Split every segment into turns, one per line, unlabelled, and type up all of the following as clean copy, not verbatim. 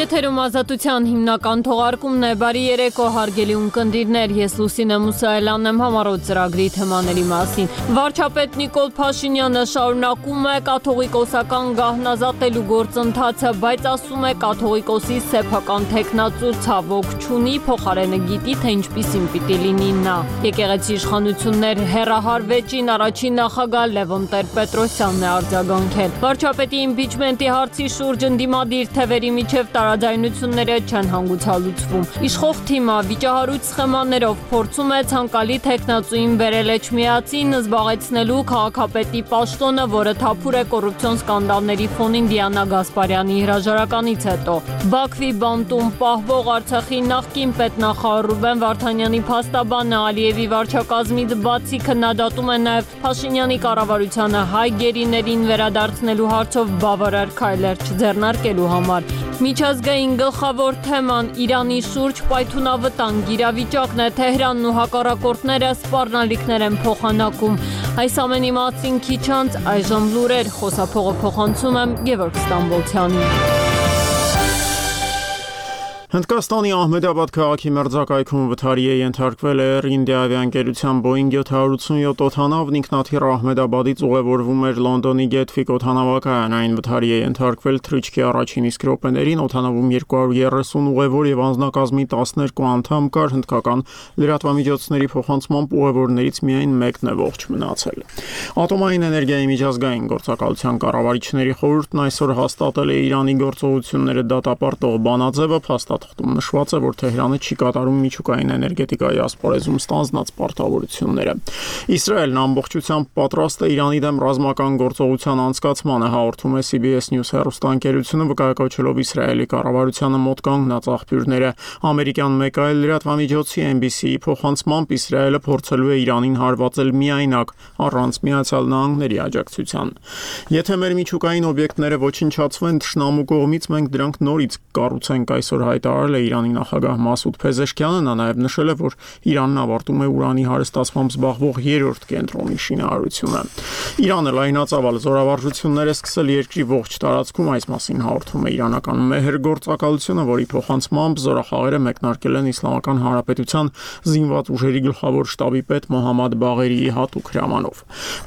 Եթերում ազատության հիմնական թողարկումն է, բարի երեկո հարգելի ունկնդիրներ, ես Լուսինե Մուսայելյանն եմ համառոտ ծրագրի թեմաների մասին։ Վարչապետ Նիկոլ Փաշինյանը շարունակում է կաթողիկոսական գահնազատելու գործընթացը, բայց ասում է կաթողիկոսի սեփական թեկնածու ցավոք չունի, փոխարենը գիտի, թե ինչպիսին պիտի լինի նա։ Եկեղեցի իշխանություններ հեռահարվեջին առաջին նախագահ Լևոն Տեր-Պետրոսյանն է արձագանքել։ Վարչապետի իմպիչմենտի հարցի շուրջ ընդդիմադիր թևերի միջև տարաձայնությունները չեն հանգուցալուծվում։ Իշխող թիմը վիճահարույց սխեմաներով փորձում է ցանկալի թեկնածուին բերել Էջմիածին զբաղեցնելու քաղաքապետի պաշտոնը, որը թափուր է կոռուպցիոն սկանդալների ֆոնին Դիանա Գասպարյանի հրաժարականից հետո։ Բաքվի բանտում պահվող Արցախի նախկին պետնախարար Ռուբեն Վարդանյանի փաստաբանը Ալիևի վարչակազմից բացի քննադատում է նաև Փաշինյանի կառավարությանը հայ գերիներին վերադարձնելու հարցով բավարար քայլեր չձեռնարկելու համար։ Միջազգային գլխավոր թեման Իրանի շուրջ պայթունավտանգ իրավիճակն է, Թեհրանն ու հակառակորդները սպառնալիքներ են փոխանակում։ Այս ամենի մասին քիչ անց այժմ լուրեր, խոսափողը փոխանցում եմ Գևորգ Ստամբոլցյանին։
Հնդկաստանի Ահմեդաբադ քաղաքի մերձակայքում վթարի է ենթարկվել Air India ավիաընկերության Boeing 787 օդանավն ինքնաթիռ Ահմեդաբադից ուղևորվում էր Լոնդոնի Գեթվիկ օդանավակայան, այն վթարի է ենթարկվել թռիչքի առաջին իսկ րոպեներին, օդանավում 230 ուղևոր եւ անձնակազմի 12 անդամ կար, հնդկական լրատվամիջոցների փոխանցմամբ ուղևորներից միայն մեկն է ողջ մնացել։ Ատոմային էներգիայի միջազգային գործակալության կառավարիչների խորհուրդն այսօր հաստատել է Իրանի գործողությունները դատապարտող բանաձևը, Թղթում նշված է, որ Թեհրանը չի կատարում միջուկային էներգետիկայի ասպարեզում ստանձնած պարտավորությունները։ Իսրայելն ամբողջությամբ պատրաստ է Իրանի դեմ ռազմական գործողության անցկացմանը, հաղորդում է CBS News հեռուստաընկերությունը, վկայակոչելով Իսրայելի կառավարությանը մոտ կանգնած աղբյուրները։ Ամերիկյան մեկ այլ լրատվամիջոցի NBC-ի փոխանցմամբ Իսրայելը փորձելու է Իրանին հարվածել միայնակ, առանց Միացյալ Նահանգների աջակցության։ Եթե մեր միջուկային օբյեկտները ոչնչացվեն թշնամու կողմից, մենք դրանք նորից կառուցենք, այսօր հայտարարել է Իրանի նախագահ Մասուդ Փեզեշքյանը, նա նաև նշել է, որ Իրանն ավարտում է ուրանի հարստացմամբ զբաղվող երրորդ կենտրոնի շինարարությունը։ Իրանը լայնածավալ զորավարժություններ է սկսել երկրի ողջ տարածքում, այս մասին հաղորդում է իրանական Մեհր գործակալությունը, որի փոխանցմամբ զորախաղերը մեկնարկել են Իսլամական Հանրապետության զինված ուժերի գլխավոր շտաբի պետ Մոհամմադ Բաղերիի հատուկ հրամանով։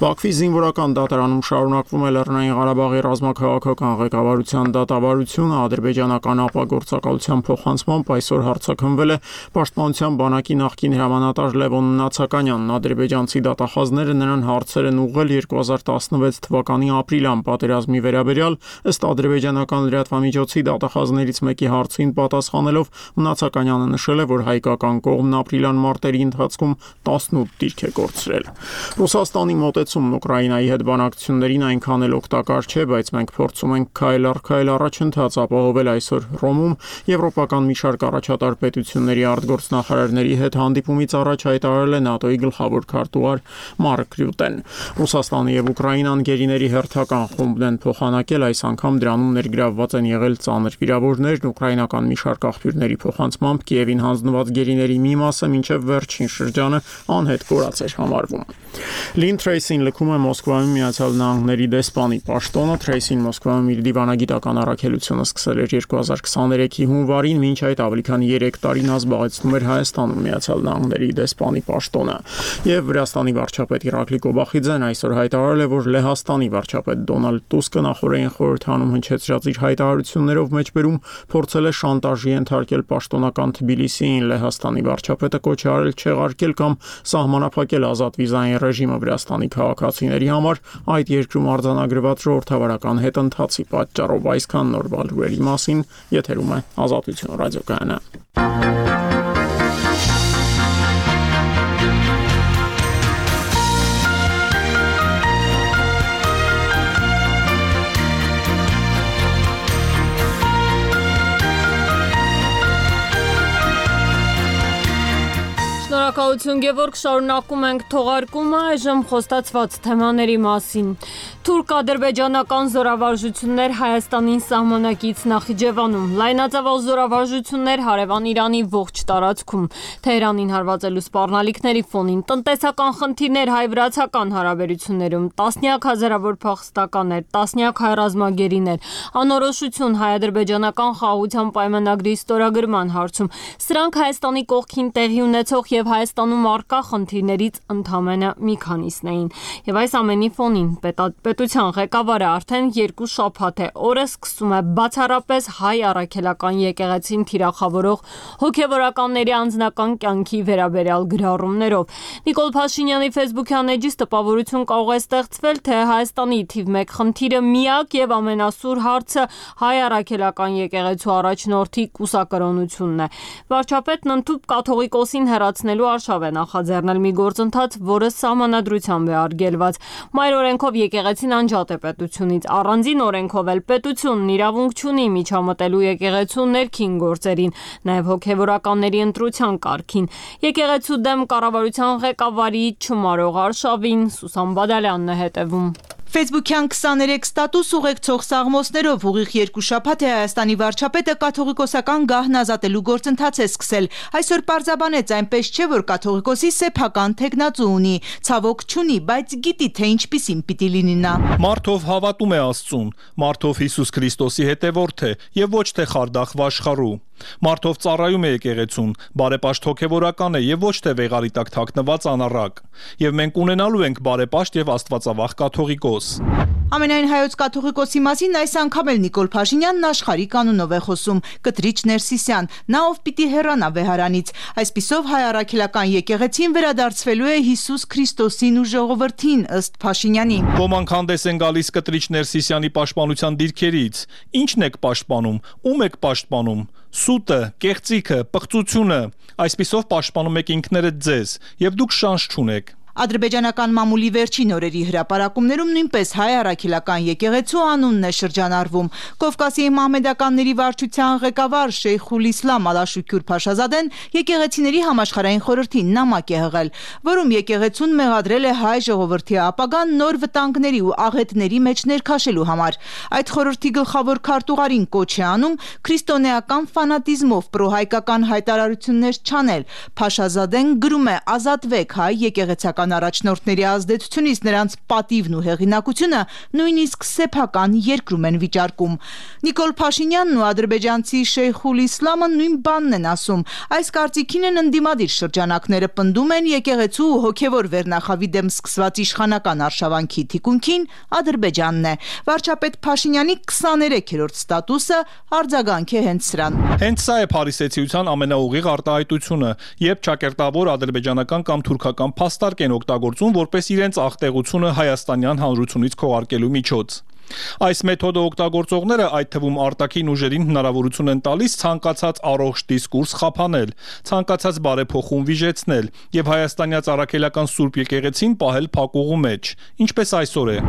Բաքվի զինվորական դատարանում շարունակվում է Լեռնային Ղարաբաղի ռազմաքաղաքական ղեկավարության դատավարությունը, ադրբեջանական ԱՊԱ գործակալության փոխանցմամբ այսօր հարձակվվել է Պաշտպանության բանակի նախկին հրամանատար Լևոն Նացականյանն, ադրբեջանցի դատախազները նրան հարցեր են ուղղել 2016 թվականի ապրիլյան պատերազմի վերաբերյալ, ըստ ադրբեջանական լրատվամիջոցի դատախազներից մեկի հարցին պատասխանելով Նացականյանը նշել է, որ հայկական կողմն ապրիլյան մարտերի ընթացքում 18 դիրք է կորցրել։ Ռուսաստանի մոտեցումն Ուկրաինայի հետ բանակցություններին այնքան էլ օգտակար չէ, բայց մենք փորձում ենք քայլ առ քայլ առաջընթաց ապահովել այսօր Ռոմում Եվրոպական մի շարք առաջատար պետությունների արտգործնախարարների հետ հանդիպումից առաջ հայտարարել է ՆԱՏՕ-ի գլխավոր քարտուղար Մարկ Ռյուտեն։ Ռուսաստանը եւ Ուկրաինան գերիների հերթական խումբն են փոխանակել, այս անգամ դրանում ներգրավված են եղել ծանր վիրավորներն, ուկրաինական մի շարք աղբյուրների փոխանցմամբ Կիևին հանձնված գերիների մի մասը մինչև վերջին շրջանը անհետ կորած էր համարվում։ Լին Թրեյսին լքում է Մոսկվայում Միացյալ Նահանգների դեսպանի պաշտոնը, Թրեյսին Մոսկվայում իր դիվանագիտական առաքելությունը սկսել էր 2023-ի հունվարին, մինչ այդ ավելի քան 3 տարի նա զբաղեցնում էր Հայաստանում Միացյալ Նահանգների դեսպանի պաշտոնը։ Եվ Վրաստանի վարչապետ Իրակլի Կոբախիձեն այսօր հայտարարել է, որ Լեհաստանի վարչապետ Դոնալդ Տուսկը նախորդային խորհրդանում հնչեցրած իր հայտարարություններով մեջբերում փորձել է շանտաժի ենթարկել պաշտոնական Թբիլիսիին։ Լեհաստանի վարչապետը կոչ է արել չեղարկել կամ սահմանափակել ազատ վիզային ռեժիմը Վրաստանի քաղաքացիների համար, այդ երկրում արձանագրված ժողովրդավարական հետընթացի պատճառով։ Այսքան նոր լուրերի մասին եթերում է Ազատություն ռադիոկայանը։
Շնորհակալ Շնորհակալություն Գևորգ, շարունակում ենք թողարկումը այժմ խոստացված թեմաների մասին։ Թուրք-ադրբեջանական զորավարժություններ Հայաստանին սահմանակից Նախիջևանում, լայնածավալ զորավարժություններ հարևան Իրանի ողջ տարածքում, Թեհրանին հարվածելու սպառնալիքների ֆոնին, տնտեսական խնդիրներ հայ-վրացական հարաբերություններում, տասնյակ հազարավոր փախստականներ, տասնյակ հայ ռազմագերիներ, անորոշություն հայ-ադրբեջանական խաղաղության պայմանագրի ստորագրման հարցում։ Սրանք Հայաստանի կողքին տեղի ունեցող եւ Հայաստանում առկա խնդիրներից ընդամենը մի քանիսն էին։ Եվ այս ամենի ֆոնին պետության ղեկավարը արդեն 2 շաբաթ է օրը սկսում է բացառապես հայ առաքելական եկեղեցին թիրախավորող հոգևորականների անձնական կյանքի վերաբերյալ գրառումներով։ Նիկոլ Փաշինյանի ֆեյսբուքյան էջից տպավորություն կարող է ստեղծվել, թե Հայաստանի թիվ 1 խնդիրը միակ եւ ամենասուր հարցը հայ առաքելական եկեղեցու առաջնորդի կուսակրոնությունն է։ Վարչապետն ընդհանուր կաթողիկոսին հեռացնելու արշավ է նախաձեռնել մի գործընթաց, որը սահմանադրությամբ է արգելված։ Մայր օրենքով եկեղեցին անջատ է պետությունից, առանձին օրենքով էլ պետությունն իրավունք չունի միջամտելու եկեղեցու ներքին գործերին, նաև հոգևորականների ընտրության կարգին։ Եկեղեցու դեմ կառավարության ղեկավարի չմարող արշավին Սուսան Բադալյանն է հետևում։
Ֆեյսբուքյան 23 ստատուս ուղեկցող սաղմոսներով ուղիղ 2 շաբաթ է Հայաստանի վարչապետը կաթողիկոսական գահն ազատելու գործընթաց է սկսել։ Այսօր պարզաբանեց, այնպես չէ, որ կաթողիկոսի սեփական թեկնածու ունի, ցավոք չունի, բայց գիտի, թե ինչպիսին պիտի լինի նա։
Մարդով հավատում է Աստծուն, մարդով Հիսուս Քրիստոսի հետևորդ է եւ ոչ թե խարդախ վաշխառու։ Մարդով ծառայում է եկեղեցուն, բարեպաշտ հոգևորական է եւ ոչ թե վեղարի տակ թաքնված անառակ։ Եվ մենք ունենալու ենք բարեպաշտ եւ աստվածավախ կաթողիկոս։
Ամենայն հայոց կաթողիկոսի մասին այս անգամ էլ Նիկոլ Փաշինյանն աշխարհի կանոնով է խոսում, կտրիչ Ներսիսյան, նա ով պիտի հեռանա վեհարանից։ Այսպիսով հայ առաքելական եկեղեցին վերադարձվելու է Հիսուս Քրիստոսին ու ժողովրդին, ըստ Փաշինյանի։
Ոմանք հանդես են գալիս կտրիչ Ներսիսյանի պաշտպանության դիրքերից։ Ինչն եք պաշտպանում, ում եք պաշտպանում։ Սուտը, կեղծիքը, պղծությունը, այսպիսով պաշտպանում եք ինքներդ ձեզ, եւ դուք շանս չունեք։
Ադրբեջանական մամուլի վերջին օրերի հրապարակումներում նույնպես հայ առաքելական եկեղեցու անունն է շրջանառվում։ Կովկասի մահմեդականների վարչության ղեկավար Շեյխուլ Իսլամ Ալաշուքյուր Փաշազադեն եկեղեցիների համաշխարհային խորհրդի նամակ է հղել, որում եկեղեցուն մեղադրել է հայ ժողովրդի ապագան նոր վտանգների ու աղետների մեջ ներքաշելու համար։ Այդ խորհրդի գլխավոր քարտուղարին կոչ է անում քրիստոնեական ֆանատիզմով պրոհայկական հայտարարություններ չանել։ Փաշազադեն գրում է. «Ազատվեք հայ եկեղեցական առաջնորդների ազդեցությունից նրանց պատիվն ու հեղինակությունը նույնիսկ սեփական երկրում են վիճարկում»։ Նիկոլ Փաշինյանն ու ադրբեջանցի Շեյխուլ Իսլամը նույն բանն են ասում։ Այս կարծիքին են ընդդիմադիր շրջանակները, պնդում են եկեղեցու ու հոգևոր վերնախավի դեմ սկսված իշխանական արշավանքի թիկունքին Ադրբեջանն է։ Վարչապետ Փաշինյանի 23-րդ ստատուսը արձագանք է հենց սրան։
Հենց սա է փարիսեցիության ամենաուղիղ արտահայտությունը, երբ ճակերտավոր ադրբեջանական կամ թուրքական փաստարկ են օգտագործում որպես իրենց աղտեղությունը հայաստանյան հանրությունից քողարկելու միջոց։ Այս մեթոդը օգտագործողները, այդ թվում արտաքին ուժերին, հնարավորություն են տալիս ցանկացած առողջ դիսկուրս խափանել, ցանկացած բարեփոխում վիժեցնել եւ հայաստանյաց առաքելական Սուրբ եկեղեցին պահել փակուղու մեջ, ինչպես այսօր է։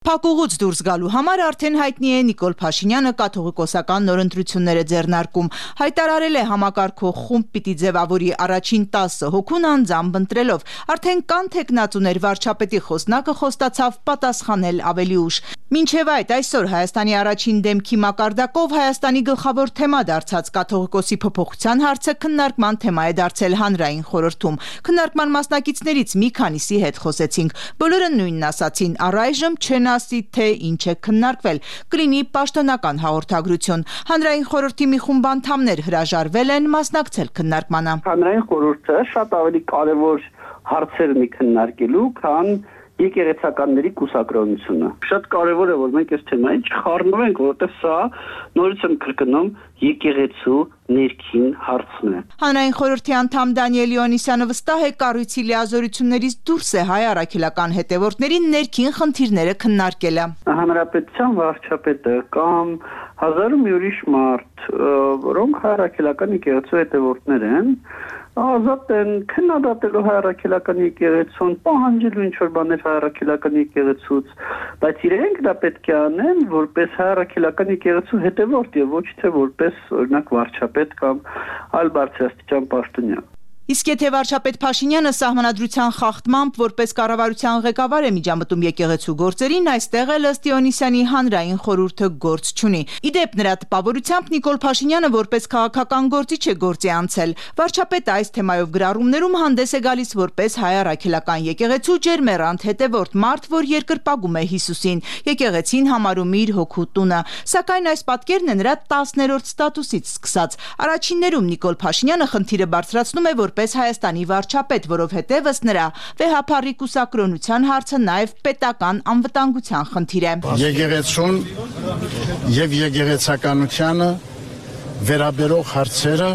Փակուղուց դուրս գալու համար արդեն հայտնի է Նիկոլ Փաշինյանը կաթողիկոսական նորընտրություններ է ձեռնարկում։ Հայտարարել է համակարգող խումբ պիտի ձևավորի առաջին 10 հոգուն անձամբ ընտրելով։ Արդեն կան թեկնածուներ, վարչապետի խոսնակը խոստացավ պատասխանել ավելի ուշ։ Մինչև այդ այսօր Հայաստանի առաջին դեմքի մակարդակով Հայաստանի գլխավոր թեմա դարձած կաթողիկոսի փոփոխության հարցը քննարկման թեմա է դարձել հանրային խորհրդում։ Քննարկման մասնակիցներից մի քանիսի հետ խոսեցինք։ Բոլորը նույնն ասացին, առայժմ չեն ասի, թե ինչ է քննարկվել, կլինի պաշտոնական հաղորդագրություն։ Հանրային խորհրդի մի խումբ անդամներ հրաժարվել են մասնակցել քննարկմանը։
Հանրային խորհուրդը շատ ավելի կարևոր հարցեր ունի քննարկելու, քան եկեղեցականների կուսակրոնությունը։ Շատ կարևոր է, որ մենք այս թեմային չխառնվենք, որովհետև սա նորից եմ կրկնում եկեղեցու ներքին հարցն է։
Հանրային խորհրդի անդամ Դանիել Իոնիսյանը վստահ է, կառույցի լիազորություններից դուրս է հայ առաքելական հետևորդների ներքին խնդիրները քննարկելը։
Հանրապետության վարչապետը կամ հազարում մի ուրիշ մարդ, որոնք հայ առաքելական եկեղեցու հետևորդներ են, ազատ են քննադատելու հայ առաքելական եկեղեցուն, պահանջելու ինչ-որ բաներ հայ առաքելական եկեղեցուց, բայց իրենք դա պետք է անեն որպես հայ առաքելական եկեղեցու հետևորդ եւ ոչ թե որպես օրինակ վարչապետ կամ այլ բարձրաստիճան պաշտոնյա։
Իսկ եթե վարչապետ Փաշինյանը սահմանադրության խախտմամբ որպես կառավարության ղեկավար է միջամտում եկեղեցու գործերին, այստեղ էլ ըստ Իոնիսյանի հանրային խորհուրդը գործ չունի։ Իդեպ նրա տպավորությամբ Նիկոլ Փաշինյանը որպես քաղաքական գործիչ է գործի անցել։ Վարչապետը այս թեմայով գրառումներում հանդես է գալիս որպես հայ առաքելական եկեղեցու ջերմեռանդ հետևորդ մարդ, որ երկրպագում է Հիսուսին, եկեղեցին համարում իր հոգու տունը։ Սակայն այս պատկերն է նրա 10-րդ ստատուսից սկսած։ Առաջիններում Նիկոլ Փաշինյանը խնդիրը բարձրացնում է որպես Հայաստանի վարչապետ, որովհետև ըստ նրա վեհափառի կուսակրոնության հարցը նաև պետական անվտանգության խնդիր է։
Եկեղեցուն եւ եկեղեցականությանը վերաբերող հարցերը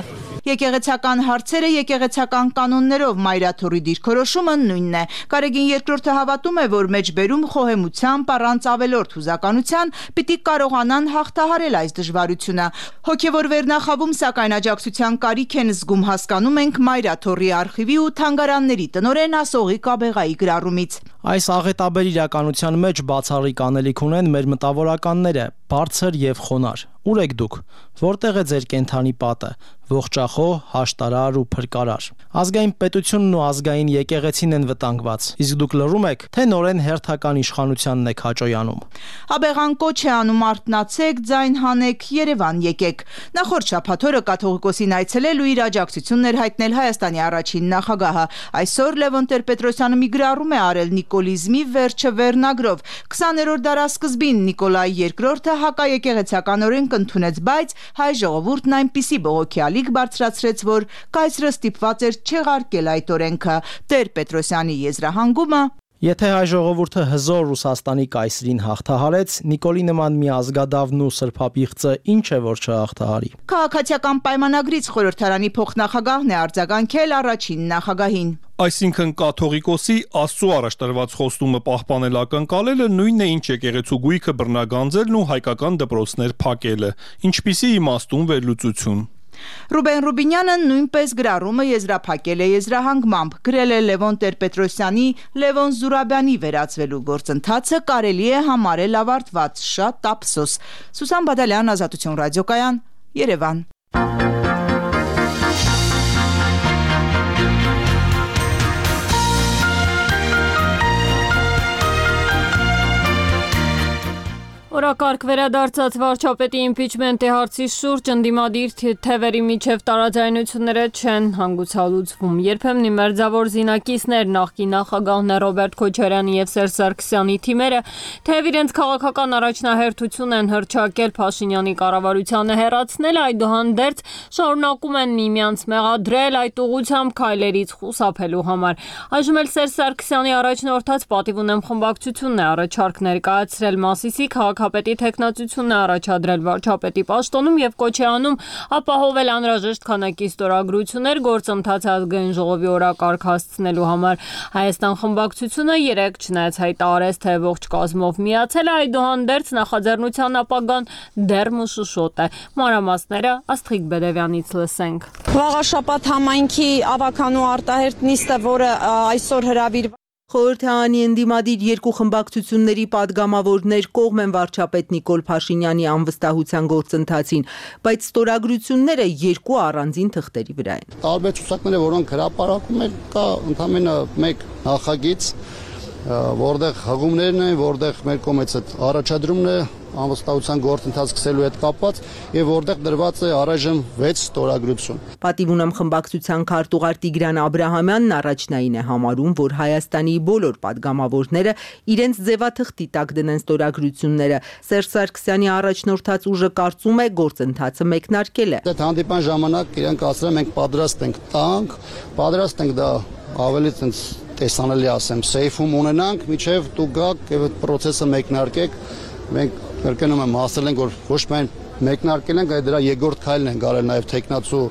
Եկեղեցական հարցերը եկեղեցական կանոններով մայրաթորի դիրքորոշումը նույնն է։ Կարեգին II հավատում է, որ մեջբերում խոհեմությամբ առանց ավելորդ հուզականության պիտի կարողանան հաղթահարել այս դժվարությունը։ Հոգևոր վերնախավում սակայն աջակցության կարիք են զգում, հասկանում ենք մայրաթորի արխիվի ու թանգարանների տնօրեն Ասողի Կաբեղայի գրառումից։
Այս աղետաբեր իրականության մեջ բացառիկ անելիք ունեն մեր մտավորականները, բարձր եւ խոնար։ Ուր եք դուք։ Որտեղ է ձեր կենթանի պատը, ողջախոհ, հաշտարար ու փրկարար։ Ազգային պետությունն ու ազգային եկեղեցին են վտանգված։ Իսկ դուք լռում եք, թե նորեն հերթական իշխանությանն եք հաճոյանում։
Աբեղան կոչ է անում արթնացեք, ձայն հանեք, Երևան եկեք։ Նախորդ շաբաթ օրը կաթողիկոսին այցելել ու իր աջակցությունն էր հայտնել Հայաստանի առաջին նախագահը։ Այսօր Լևոն Տեր-Պետրոսյանը մի գրառում է արել Նիկոլիզմի վերջը վերնագրով։ 20-րդ դարասկզբին Նիկոլայ II հակաեկեղեցականորեն կընդունեց, բայց հայ ժողովուրդն այնպիսի բողոքի ալիք բարձրացրեց, որ կայսրը ստիպված էր չեղարկել այդ օրենքը։ Տեր-Պետրոսյանի եզրահանգումը
Եթե հայ ժողովուրդը հզոր Ռուսաստանի կայսրին հաղթահարեց, Նիկոլի նման մի ազգադավն ու սրբապիղծը ինչ է որ չհաղթահարի։
Քաղաքացիական պայմանագրից խորհրդարանի փոխնախագահն է արձագանքել առաջին նախագահին։
Այսինքն կաթողիկոսի Աստծո առաջ տրված խոստումը պահպանել ակնկալելը նույնն է ինչ եկեղեցու գույքը բռնագանձելն ու հայկական դպրոցներ փակելը, ինչպիսի իմաստուն վերլուծություն։
Ռուբեն Ռուբինյանը նույնպես գրառումը եզրափակել է եզրահանգմամբ, գրել է Լևոն Տեր-Պետրոսյանի Լևոն Զուրաբյանի վերածվելու գործընթացը կարելի է համարել ավարտված, շատ ափսոս։ Սուսան Բադալյան, Ազատություն ռադիոկայան, Երևան։
Օրակարգ վերադարձած վարչապետի իմպիչմենտի հարցի շուրջ ընդդիմադիր թևերի միջև տարաձայնությունները չեն հանգուցալուծվում։ Երբեմն մերձավոր զինակիցներ նախկին նախագահներ Ռոբերտ Քոչարյանի եւ Սերժ Սարգսյանի թիմերը թեև իրենց քաղաքական առաջնահերթություն են հռչակել Փաշինյանի կառավարությանը հեռացնել, այդուհանդերձ շարունակում են միմյանց մեղադրել այդ ուղղությամբ քայլերից խուսափելու համար։ Այժմ էլ Սերժ Սարգսյանի առաջնորդած պատիվ ունեմ խմբակցությունն է առաջարկ ներկայացրել Մասիսի քաղաքապետի թեկնածությունն է առաջադրել վարչապետի պաշտոնում եւ կոչ է անում ապահովել անհրաժեշտ քանակի ստորագրություններ գործընթացը ազգային ժողովի օրակարգ հասցնելու համար։ Հայաստան խմբակցությունը 3 չնայած հայտարարեց, թե ողջ կազմով միացել է, այդուհանդերձ նախաձեռնության ապագան դեռ մշուշոտ է։ Մանրամասները Աստղիկ Բեդևյանից լսենք։
Վաղաշաբաթ համայնքի ավականու արտահերտ նիստը, որը այսօր հրավիրված
Խորհրդարանի ընդդիմադիր երկու խմբակցությունների падգամավորներ կողմ են վարչապետ Նիկոլ Փաշինյանի անվստահության գործընթացին, բայց ստորագրությունները երկու առանձին թղթերի վրա են։
Տարբեր ցուցակները, որոնք հրապարակում են, կա ընդամենը մեկ նախագիծ, որտեղ հղումներն են, որտեղ մեր կողմից այդ առաջադրումն է անվստահության գործընթաց սկսելու հետ կապված եւ որտեղ դրված է առայժմ 6 ստորագրություն։
Պատիվ ունեմ խմբակցության քարտուղար Տիգրան Աբրահամյանն առաջնային է համարում, որ Հայաստանի բոլոր падգամավորները իրենց ձևաթղթի տակ դնեն ստորագրությունները։ Սերժ Սարգսյանի առաջնորդած ուժը կարծում է գործընթացը մեկնարկել է։
Այդ հանդիպան ժամանակ իրենք ասել են մենք պատրաստ ենք տանք, պատրաստ ենք դա ավելի ցենց տեսանելի ասեմ, սեյֆում ունենանք, միջև դուք գաք եւ այդ process-ը մեկնարկեք։ Մենք կրկնում եմ ասել ենք, որ ոչ միայն մեկնարկել ենք, այլ դրա երկրորդ քայլն ենք արել նաև տեխնացու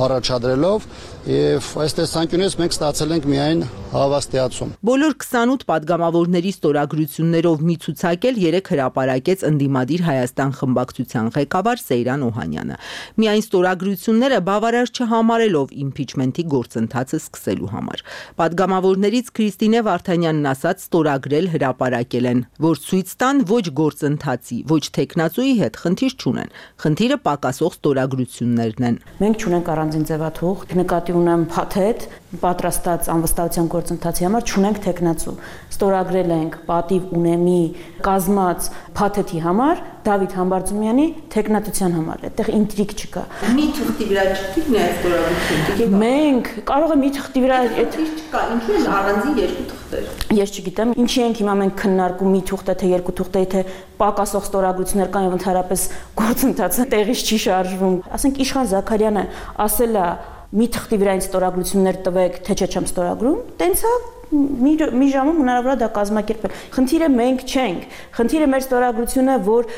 առաջադրելով եւ այս տեսանկյունից մենք ստացել ենք միայն հավաստիացում։
Բոլոր 28 падգամավորների ստորագրություններով մի ցուցակել 3 հրապարակեց ընդդիմադիր Հայաստան խմբակցության ղեկավար Սեյրան Օհանյանը։ Միայն ստորագրությունները բավարար չհամարելով իմպիչմենթի գործընթացը սկսելու համար։ Падգամավորներից Քրիստինե Վարդանյանն ասաց ստորագրել հրապարակել են, որ ցույց տան ոչ գործընթացի, ոչ տեխնացուի հետ խնդիր չունեն։ Խնդիրը պակասող ստորագրություններն են։
Մենք չունենք առանձին ձևաթուղթ, նկատի ունեմ փաթեթ, պատրաստած անվստահության գործընթացի համար չունենք տեխնացու։ Ստորագրել ենք պատիվ ունեմի կազմած փաթեթի համար Դավիթ Համբարձումյանի տեխնատության համար։ Այդտեղ ինտրիգ չկա։
Մի թղթի վրա չգիտի ստորագրություն։
Մենք կարող է մի թղթի վրա
չկա, ինչու են առանձին երկու թղթեր։
Ես չգիտեմ, ինչի ենք հիմա մենք քննարկում մի թուղթ է թե երկու թուղթ է, թե պակասող ստորագրություններ կան եւ ընդհանրապես գործընթացը տեղից չի շարժվում։ Ասենք Իշխան Զաքարյանը ասել է մի թղթի վրա ինձ ստորագրություններ տվեք, թե չէ չեմ ստորագրում, տենց է մի ժամում հնարավոր է դա կազմակերպել։ Խնդիրը մենք չենք, խնդիրը մեր ստորագրությունը, որ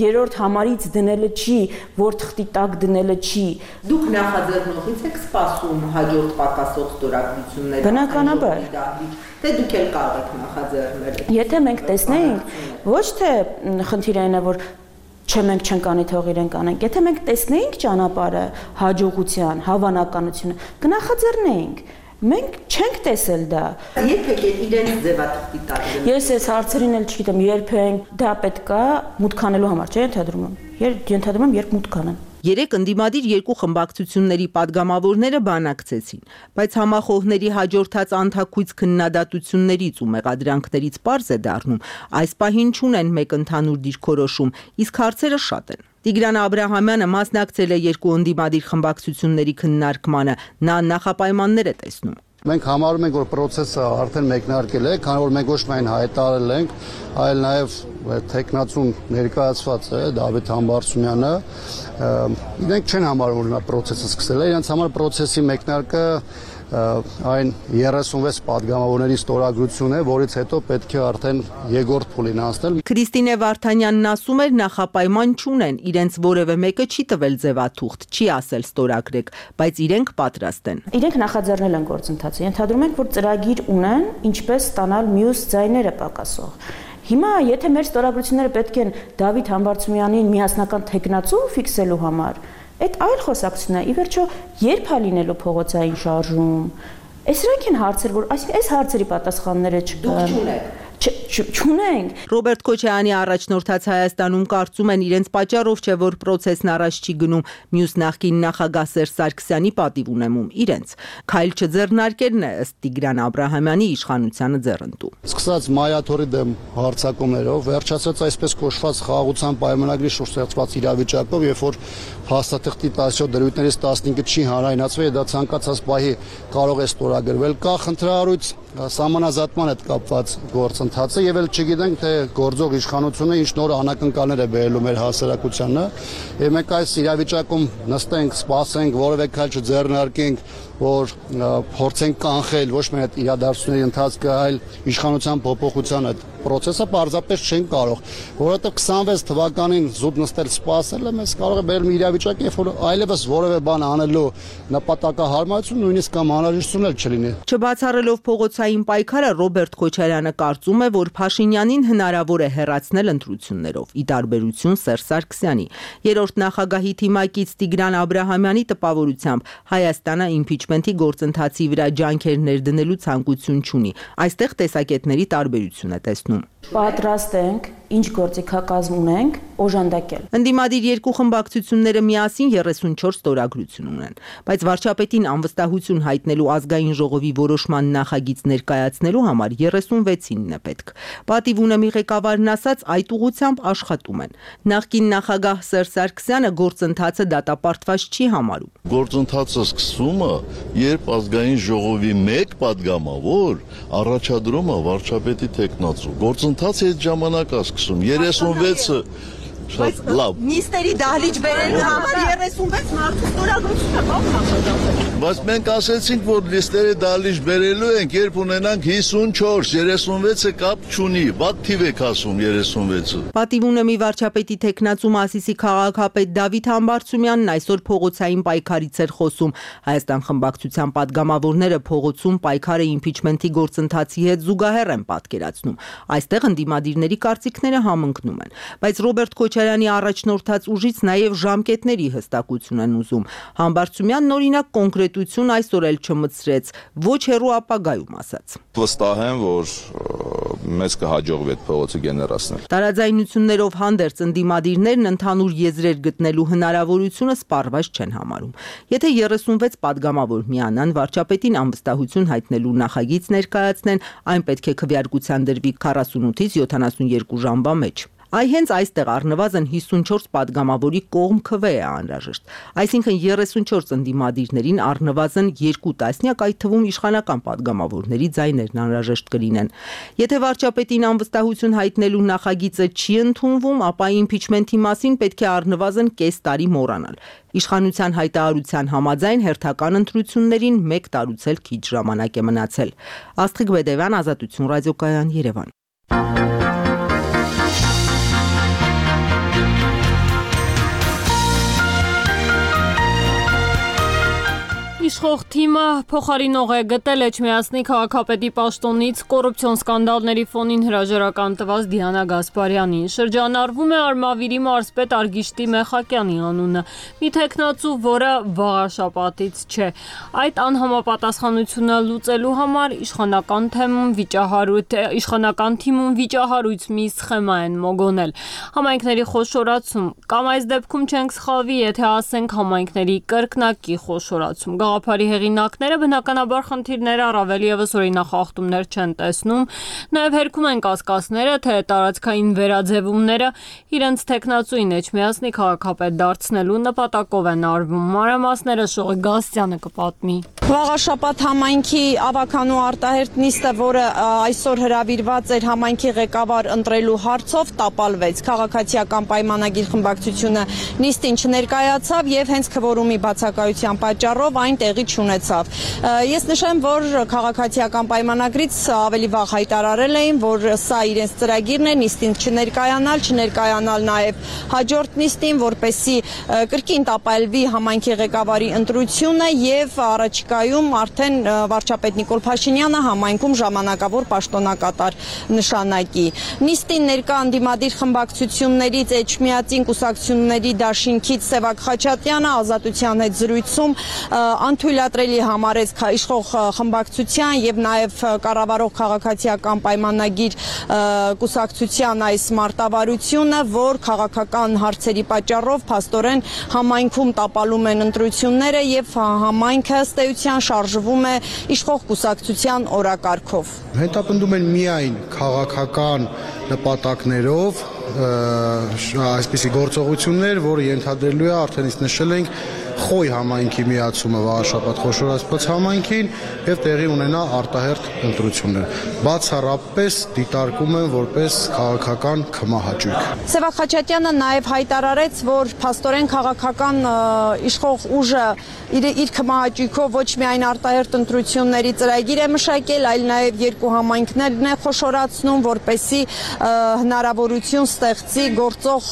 երրորդ համարից դնելը չի, որ թղթի տակ դնելը չի։
Դուք նախաձեռնողից եք սպասում հաջորդ պակասող ստորագրությունները։
Բնականաբար։
Թե դուք էլ կարող եք նախաձեռնել։
Եթե մենք տեսնենք, ոչ թե խնդիրը այն է, որ չէ մենք չենք անի թող իրենք անենք։ Եթե մենք տեսնեինք ճանապարհը, հաջողության, հավանականությունը, կնախաձեռնեինք։ Մենք չենք տեսել դա։
Երբեք իրենց ձևաթղթի տակ։
Ես այս հարցերին էլ չգիտեմ, երբեք դա պետք է մուտք անելու համար, չէ՞ ենթադրում եմ։ Ենթադրում եմ, երբ մուտք անեն։
Երեք ընդդիմադիր երկու խմբակցությունների падգամավորները բանակցեցին, բայց համախոհների հաջորդած անթաքույց քննադատություններից ու մեղադրանքներից պարզ է դառնում, այս պահին չունեն մեկ ընդհանուր դիրքորոշում, իսկ հարցերը շատ են։ Տիգրան Աբրահամյանը մասնակցել է երկու ընդդիմադիր խմբակցությունների քննարկմանը, նա նախապայմաններ է տեսնում։
Մենք համարում ենք, որ process-ը արդեն մեկնարկել է, քանի որ մենք ոչ միայն հայտարարել ենք, այլ նաև տեխնացուն ներկայացված է Դավիթ Համբարձումյանը, իրենք չեն համարում, որ նա process-ը սկսել է, իրենց համար process-ի մեկնարկը այն 36 падգամավորների ստորագրություն է, որից հետո պետք է արդեն երկրորդ փուլին անցնել։
Քրիստինե Վարդանյանն ասում էր նախապայման չունեն, իրենց որևէ մեկը չի տվել ձևաթուղթ, չի ասել ստորագրեք, բայց իրենք պատրաստ են։
Իրենք նախաձեռնել են գործընթացը, ենթադրում ենք, որ ծրագիր ունեն, ինչպես ստանալ մյուս ձայները պակասող։ Հիմա եթե մեր ստորագրությունները պետք են Դավիթ Համբարձումյանին միասնական տեխնացու ֆիքսելու համար, այդ այլ խոսակցություն է, ի վերջո երբ է լինելու փողոցային շարժում։ Այսրանք են հարցեր, որ այսինքն այս հարցերի պատասխանները չկան։ Չունենք։
Ռոբերտ Քոչարյանի առաջնորդած Հայաստանում կարծում են իրենց պատճառով չէ, որ process-ն առաջ չի գնում, մյուս նախկին նախագահ Սերժ Սարգսյանի պատիվ ունեմում իրենց։ Քայլ չձեռնարկելն է ըստ Տիգրան Աբրահամյանի իշխանությանը ձեռնտու։
Սկսած Մայաթորի դեմ հարձակումներով, վերջացած այսպես կոչված խաղաղության պայմանագրի շուրջ ստեղծված իրավիճակով, երբ որ փաստաթղթի 17 դրույթներից 15-ը չի հանրայնացվել, դա ցանկացած պահի կարող է ստորագրվել, կա խնդրահարույց սահմանազատման հետ կապված գործընթացը եւ էլ չգիտենք թե գործող իշխանությունը ինչ նոր անակնկալներ է բերելու մեր հասարակությանը եւ մենք այս իրավիճակում նստենք, սպասենք, որևէ քայլ չձեռնարկենք, որ փորձենք կանխել ոչ միայն այդ իրադարձությունների ընթացքը, այլ իշխանության փոփոխության այդ process-ը պարզապես չեն կարող, որովհետեւ 26 թվականին զուտ նստել սպասելը մեզ կարող է բերել մի իրավիճակ, երբ որ այլևս որևէ բան անելու նպատակահարմարություն նույնիսկ կամ անհրաժեշտություն էլ չլինի։
Չբացառելով փողոցային պայքարը Ռոբերտ Քոչարյանը կարծում է, որ Փաշինյանին հնարավոր է հեռացնել ընտրություններով, ի տարբերություն Սերժ Սարգսյանի։ Երրորդ նախագահի թիմակից Տիգրան Աբրահամյանի տպավորությամբ Հայաստանը իմպիչմենթի գործընթացի վրա ջանքեր ներդնելու ցանկություն չունի։ Այստեղ տեսակետների տարբերություն է տեսնում։
Պատրաստ ենք, ինչ գործիքակազմ ունենք, օժանդակել։
Ընդդիմադիր երկու խմբակցությունները միասին 34 ստորագրություն ունեն, բայց վարչապետին անվստահություն հայտնելու ազգային ժողովի որոշման նախագիծ ներկայացնելու համար 36-ինն է պետք։ Պատիվ ունեմի ղեկավարն ասաց, այդ ուղղությամբ աշխատում են։ Նախկին նախագահ Սերժ Սարգսյանը գործընթացը դատապարտված չի համարում։
Գործընթացը սկսումը, երբ ազգային ժողովի մեկ падգամավոր առաջադրում է վարչապետի տեխնացու։ Գործընթացը այդ ժամանակ է սկսում 36-ը Շատ լավ։
Նիստերի դահլիճ բերելու համար 36 մարդու ստորագրություն է բացել։
Բայց մենք ասեցինք, որ լիստերի դահլիճ բերելու ենք, երբ ունենանք 54, 36-ը կապ չունի, վատ թիվ եք ասում 36-ը։
Պատիվ ունեմի վարչապետի թեկնածու Մասիսի քաղաքապետ Դավիթ Համբարձումյանն այսօր փողոցային պայքարից էր խոսում։ Հայաստան խմբակցության падգամավորները փողոցում պայքարը իմպիչմենթի գործընթացի հետ զուգահեռ են պատկերացնում։ Այստեղ ընդդիմադիրների կարծիքները համընկնում են, բայց Ռոբերտ Քոչարյանի առաջնորդած ուժից նաև ժամկետների հստակություն են ուզում։ Համբարձումյանն օրինակ կոնկրետություն այսօր էլ չմտցրեց, ոչ հեռու ապագայում ասաց։
Վստահ եմ, որ մեզ կհաջողվի այդ փողոցը գեներացնել։
Տարաձայնություններով հանդերձ ընդդիմադիրներն ընդհանուր եզրեր գտնելու հնարավորությունը սպառված չեն համարում։ Եթե 36 падգամավոր միանան, վարչապետին անվստահություն հայտնելու նախագիծ ներկայացնեն, այն պետք է քվեարկության դրվի 48-ից 72 ժամվա մեջ։ Այ հենց այստեղ առնվազն 54 падգամավորի կողմ քվե է անհրաժեշտ, այսինքն 34 ընդդիմադիրներին առնվազն 2 տասնյակ, այդ թվում իշխանական падգամավորների ձայներն անհրաժեշտ կլինեն։ Եթե վարչապետին անվստահություն հայտնելու նախագիծը չի ընդունվում, ապա իմպիչմենթի մասին պետք է առնվազն կես տարի մոռանալ։ Իշխանության հայտարարության համաձայն հերթական ընտրություններին 1 տարուց էլ քիչ ժամանակ է մնացել։ Աստղիկ Բեդևյան, Ազատություն ռադիոկայան, Երևան։
Իշխող թիմը փոխարինող է գտել Էջմիածնի քաղաքապետի պաշտոնից կոռուպցիոն սկանդալների ֆոնին հրաժարական տված Դիանա Գասպարյանին։ Շրջանառվում է Արմավիրի մարզպետ Արգիշտի Մեխակյանի անունը, մի թեկնածու, որը վաղաշապատից չէ։ Այդ անհամապատասխանությունը լուծելու համար իշխանական թիմում վիճահարույց մի սխեմա են մոգոնել։ Համայնքների խոշորացում, կամ այս դեպքում չենք սխալվի, եթե ասենք համայնքների կրկնակի խոշորացում։ Գաղափարի հեղինակները բնականաբար խնդիրները առավել ևս օրինախախտումներ չեն տեսնում, նաև հերքում են կասկածները, թե տարածքային վերաձևումները իրենց թեկնածուին Էջմիածնի քաղաքապետ դարձնելու նպատակով են արվում։ Մանրամասները Շողի Գասյանը կպատմի։
Վաղաշապատ համայնքի ավականու արտահերտ նիստը, որը այսօր հրավիրված էր համայնքի ղեկավար ընտրելու հարցով, տապալվեց։ Քաղաքացիական պայմանագիր խմբակցությունը նիստին չներկայացավ եւ հենց քվորումի բացակայության պատճառով այն տեղի չունեցավ։ Ես նշեմ, որ քաղաքացիական պայմանագրից ավելի վաղ հայտարարել էին, որ սա իրենց ծրագիրն է, նիստին չներկայանալ նաև հաջորդ նիստին, որպեսզի կրկին տապալվի համայնքի ղեկավարի ընտրությունը եւ առաջիկայում արդեն վարչապետ Նիկոլ Փաշինյանը համայնքում ժամանակավոր պաշտոնակատար նշանակի։ Նիստին ներկա ընդդիմադիր խմբակցություններից Էջմիածին կուսակցությունների դաշինքից Սևակ Խաչատրյանը Ազատության հետ զրույցում անթույլատրելի համարեց իշխող խմբակցության եւ նաեւ կառավարող քաղաքացիական պայմանագիր կուսակցության այս մարտավարությունը, որ քաղաքական հարցերի պատճառով փաստորեն համայնքում տապալում են ընտրությունները եւ համայնքը ըստ էության շարժվում է իշխող կուսակցության օրակարգով։
Հետապնդում են միայն քաղաքական նպատակներով այսպիսի գործողություններ, որը ենթադրելու է արդեն իսկ նշել ենք Խոյ համայնքի միացումը վաղաշաբաթ խոշորացված համայնքին եւ տեղի ունենա արտահերթ ընտրություններ։ Բացառապես դիտարկում են որպես քաղաքական քմահաճույք։
Սևակ Խաչատրյանը նաեւ հայտարարեց, որ փաստորեն քաղաքական իշխող ուժը իր քմահաճույքով ոչ միայն արտահերթ ընտրությունների ծրագիր է մշակել, այլ նաեւ երկու համայնքներն է խոշորացնում, որպեսզի հնարավորություն ստեղծի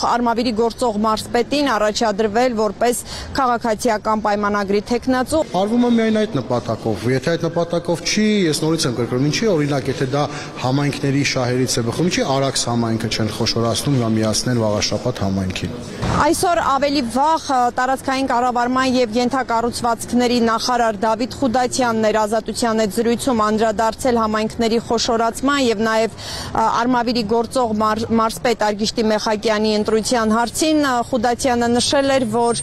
Արմավիրի գործող մարզպետին առաջադրվել որպես քաղաքացիական պայմանագրի թեկնածու։
Արվում է միայն այդ նպատակով։ Եթե այդ նպատակով չի, ես նորից եմ կրկնում, ինչի օրինակ, եթե դա համայնքների շահերից է բխում, ինչի Արաքս համայնքը չեն խոշորացնում ու միացնեն վաղաշապատ համայնքին։
Այսօր ավելի վաղ տարածքային կառավարման եւ ենթակառուցվածքների նախարար Դավիթ Խուդատյանն էր Ազատության հետ զրույցում անդրադարձել համայնքների խոշորացման եւ նաեւ Արմավիրի գործող մարզպետ Արգիշտի Մեխակյանի ընտրության հարցին։ Խուդատյանը նշել էր, որ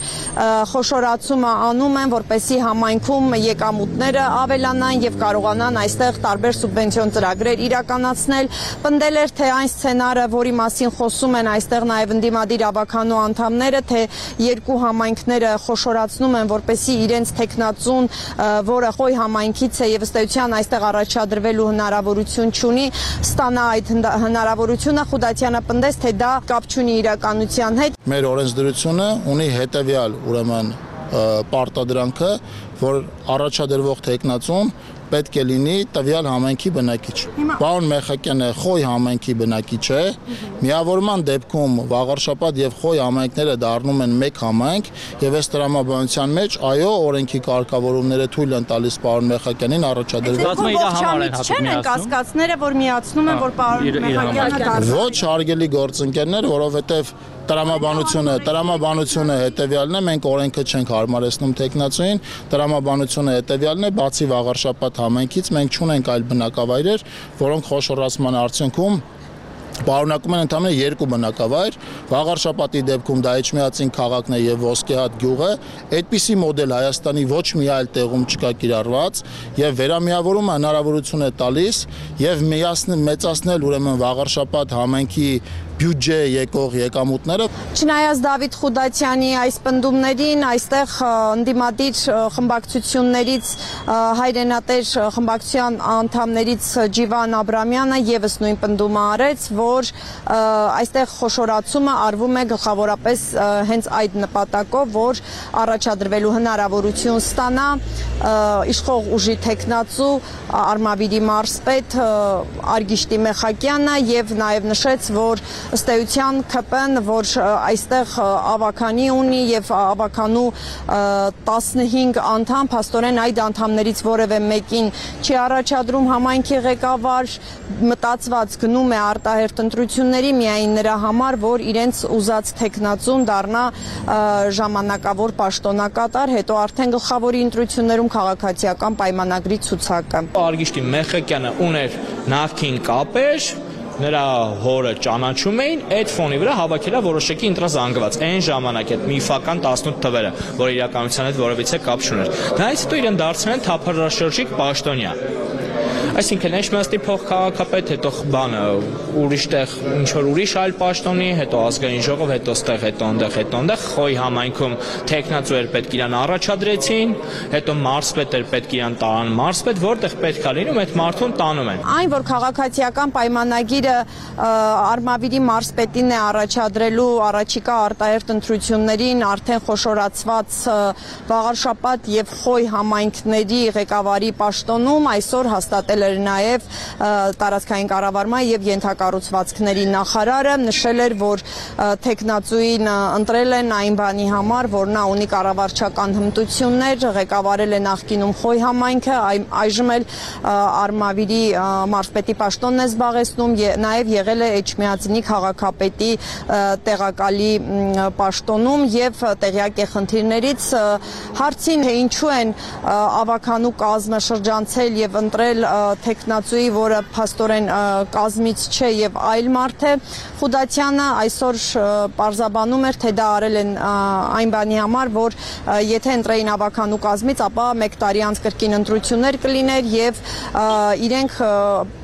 խոշորացումը անում են, որպեսզի համայնքում եկամուտները ավելանան եւ կարողանան այստեղ տարբեր սուբվենցիոն ծրագրեր իրականացնել։ Պնդել էր, թե այն սցենարը, որի մասին խոսում են այստեղ նաեւ ընդդիմադիր ավականու անդամները, թե երկու համայնքները խոշորացնում են, որպեսզի իրենց թեկնածուն, որը Խոյ համայնքից է եւ ըստ էության այստեղ առաջադրվելու հնարավորություն չունի, ստանա այդ հնարավորությունը։ Խուդատյանը պնդեց, թե դա կապ չունի իրականության հետ։
Մեր օրենսդրությունը ունի հետևյալ, ուրեմն պարտադրանքը, որ առաջադրվող տեխնացուն պետք է լինի տվյալ համայնքի բնակիչ։ Պարոն Մեխակյանը Խոյ համայնքի բնակիչ է։ Միավորման դեպքում Վաղարշապատ եւ Խոյ համայնքները դառնում են մեկ համայնք եւ այս տրամաբանության մեջ այո օրենքի կարգավորումները թույլ են տալիս պարոն Մեխակյանին առաջադրել։
Չեն կասկածները, որ միացնում են, որ պարոն Մեխակյանը
ոչ հարգելի գործընկերներ, որովհետեւ տրամաբանությունը հետևյալն է, մենք օրենքը չենք հարմարեցնում տեխնացուին, տրամաբանությունը հետևյալն է, բացի Վաղարշապատ համայնքից մենք չունենք այլ բնակավայրեր, որոնք խոշորացման արդյունքում պարունակում են ընդամենը 2 բնակավայր, Վաղարշապատի դեպքում դա Էջմիածին քաղաքն է եւ Ոսկեհատ գյուղը, այդպիսի մոդել Հայաստանի ոչ մի այլ տեղում չկա կիրառված եւ վերամիավորումը հնարավորություն է տալիս եւ մեծացնել ուրեմն Վաղարշապատ համայնքի բյուջե եկող եկամուտները։
Չնայած Դավիթ Խուդատյանի այս պնդումներին, այստեղ ընդդիմադիր խմբակցություններից հայրենատեր խմբակցության անդամներից Ջիվան Աբրամյանը եւս նույն պնդումը արեց, որ այստեղ խոշորացումը արվում է գլխավորապես հենց այդ նպատակով, որ առաջադրվելու հնարավորություն ստանա իշխող ուժի տեխնացու Արմավիրի մարզպետ Արգիշտի Մեխակյանը եւ նաեւ նշեց, որ ըստ էության ԿՊ-ն, որ այստեղ ավականի ունի եւ ավականու 15 անդամ, փաստորեն այդ անդամներից որևէ մեկին չի առաջադրում համայնքի ղեկավար, մտածված գնում է արտահերթ ընտրությունների միայն նրա համար, որ իրենց ուզած տեխնացուն դառնա ժամանակավոր պաշտոնակատար, հետո արդեն գլխավորի ընտրություններում քաղաքացիական պայմանագրի ցուցակը։
Արգիշտի Մեխակյանը ուներ նախկին կապեր, նրա հորը ճանաչում էին, այդ ֆոնի վրա հավաքելա որոշակի ընտրազանգված այն ժամանակ այդ միֆական 18 թվերը, որ իրականության հետ որևիցե կապ չուներ։ Դրանից հետո իրեն դարձրել են թափառաշրջիկ պաշտոնյա։ Այսինքն Էջմիածնի փոխքաղաքապետ, հետո բանը ուրիշ տեղ ինչ որ ուրիշ այլ պաշտոնի, հետո ազգային ժողով, հետո ստեղ, հետո այնտեղ Խոյ համայնքում տեխնացու էր պետք իրան առաջադրեցին, հետո մարզպետ էր պետք իրան տարան մարզպետ, որտեղ պետք է լինում այդ մարդուն տանում են։
Այն, որ քաղաքացիական պայմանագիրը Արմավիրի մարզպետին է առաջադրելու առաջիկա արտահերթ ընտրություններին արդեն խոշորացված Վաղարշապատ եւ Խոյ համայնքների ղեկավարի պաշտոնում այսօր հաստատել էր նաև տարածքային կառավարման եւ ենթակառուցվածքների նախարարը, նշել էր, որ տեխնացուին ընտրել են այն բանի համար, որ նա ունի կառավարչական հմտություններ, ղեկավարել է նախկինում Խոյ համայնքը, այժմ էլ Արմավիրի մարզպետի պաշտոնն է զբաղեցնում, նաև եղել է Էջմիածնի քաղաքապետի տեղակալի պաշտոնում եւ տեղյակ է խնդիրներից հարցին, թե ինչու են ավականու կազմը շրջանցել եւ ընտրել տեխնացուի, որը փաստորեն կազմից չէ եւ այլ մարդ է, Խուդատյանը այսօր պարզաբանում էր, թե դա արել են այն բանի համար, որ եթե ընտրեին ավականու կազմից, ապա 1 տարի անց կրկին ընտրություններ կլիներ եւ իրենք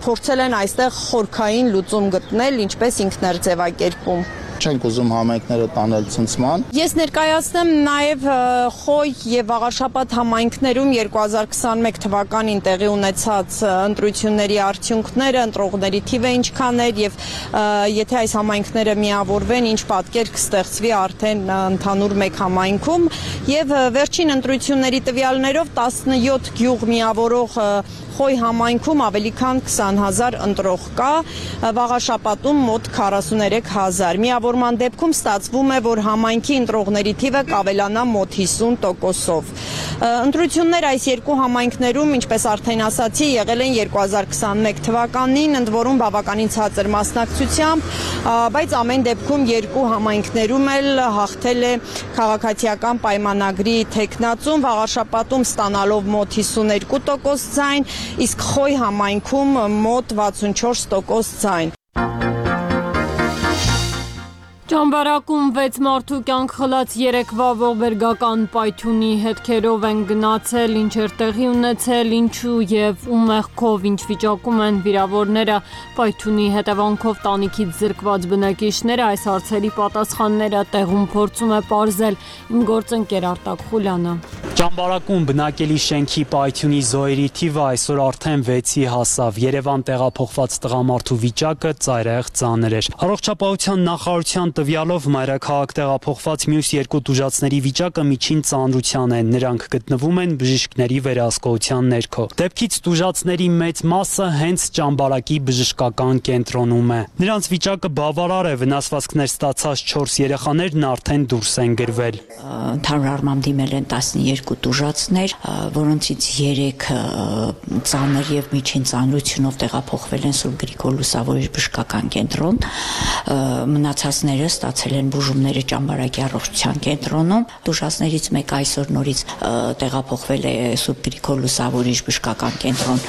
փորձել են այստեղ խորքային լուծում գտնել, ինչպես ինքն էր ձևակերպում։
Չենք ուզում համայնքները տանել ցնցման։
Ես ներկայացնեմ նաև Խոյ եւ Վաղարշապատ համայնքներում 2021 թվականին տեղի ունեցած ընտրությունների արդյունքները, ընտրողների թիվը ինչքան էր եւ եթե այս համայնքները միավորվեն, ինչ պատկեր կստեղծվի արդեն ընդհանուր մեկ համայնքում եւ վերջին ընտրությունների տվյալներով 17 գյուղ միավորող Խոյ համայնքում ավելի քան 20,000 ընտրող կա, Վաղարշապատում մոտ 43,000։ Միավորման դեպքում ստացվում է, որ համայնքի ընտրողների թիվը կավելանա մոտ 50%-ով։ Ընտրություններ այս երկու համայնքներում, ինչպես արդեն ասացի, եղել են 2021 թվականին, ընդ որում բավականին ցածր մասնակցությամբ, բայց ամեն դեպքում երկու համայնքներում էլ հաղթել է քաղաքացիական պայմանագրի տեխնացուն, Վաղարշապատում ստանալով մոտ 52% ձայն, իսկ Խոյ համայնքում մոտ 64% ձայն։
Ճամբարակում 6 մարդու կյանք խլած երեկվա ողբերգական պայթյունի հետքերով են գնացել, ինչ էր տեղի ունեցել, ինչու եւ ում մեղքով, ինչ վիճակում են վիրավորները, պայթյունի հետևանքով տանիքից զրկված բնակիչները, այս հարցերի պատասխանները տեղում փորձում է պարզել իմ գործընկեր Արտակ Խուլյանը։
Ճամբարակում բնակելի շենքի պայթյունի զոհերի թիվը այսօր արդեն 6-ի հասավ։ Երևան տեղափոխված տղամարդու վիճակը ծայրահեղ ծանր էր։ Առողջապահության նախարարության տվյալով մայրաքաղաք տեղափոխված մյուս երկու տուժածների վիճակը միջին ծանրության է։ Նրանք գտնվում են բժիշկների վերահսկողության ներքո։ Դեպքից տուժածների մեծ մասը հենց Ճամբարակի բժշկական կենտրոնում է։ Նրանց վիճակը բավարար է, վնասվածքներ ստացած 4 երեխաներն արդեն դուրս են գրվել։
Ընդհանուր առմամբ դիմել են 12 տուժածներ, որոնցից 3 ծանր եւ միջին ծանրությունով տեղափոխվել են Սուրբ Գրիգոր Լուսավորիչ բժշկական կենտրոն, մնացածները ստացել են բուժումները Ճամբարակի առողջության կենտրոնում, տուժածներից մեկը այսօր նորից տեղափոխվել է Սուրբ Գրիգոր Լուսավորիչ բժշկական կենտրոն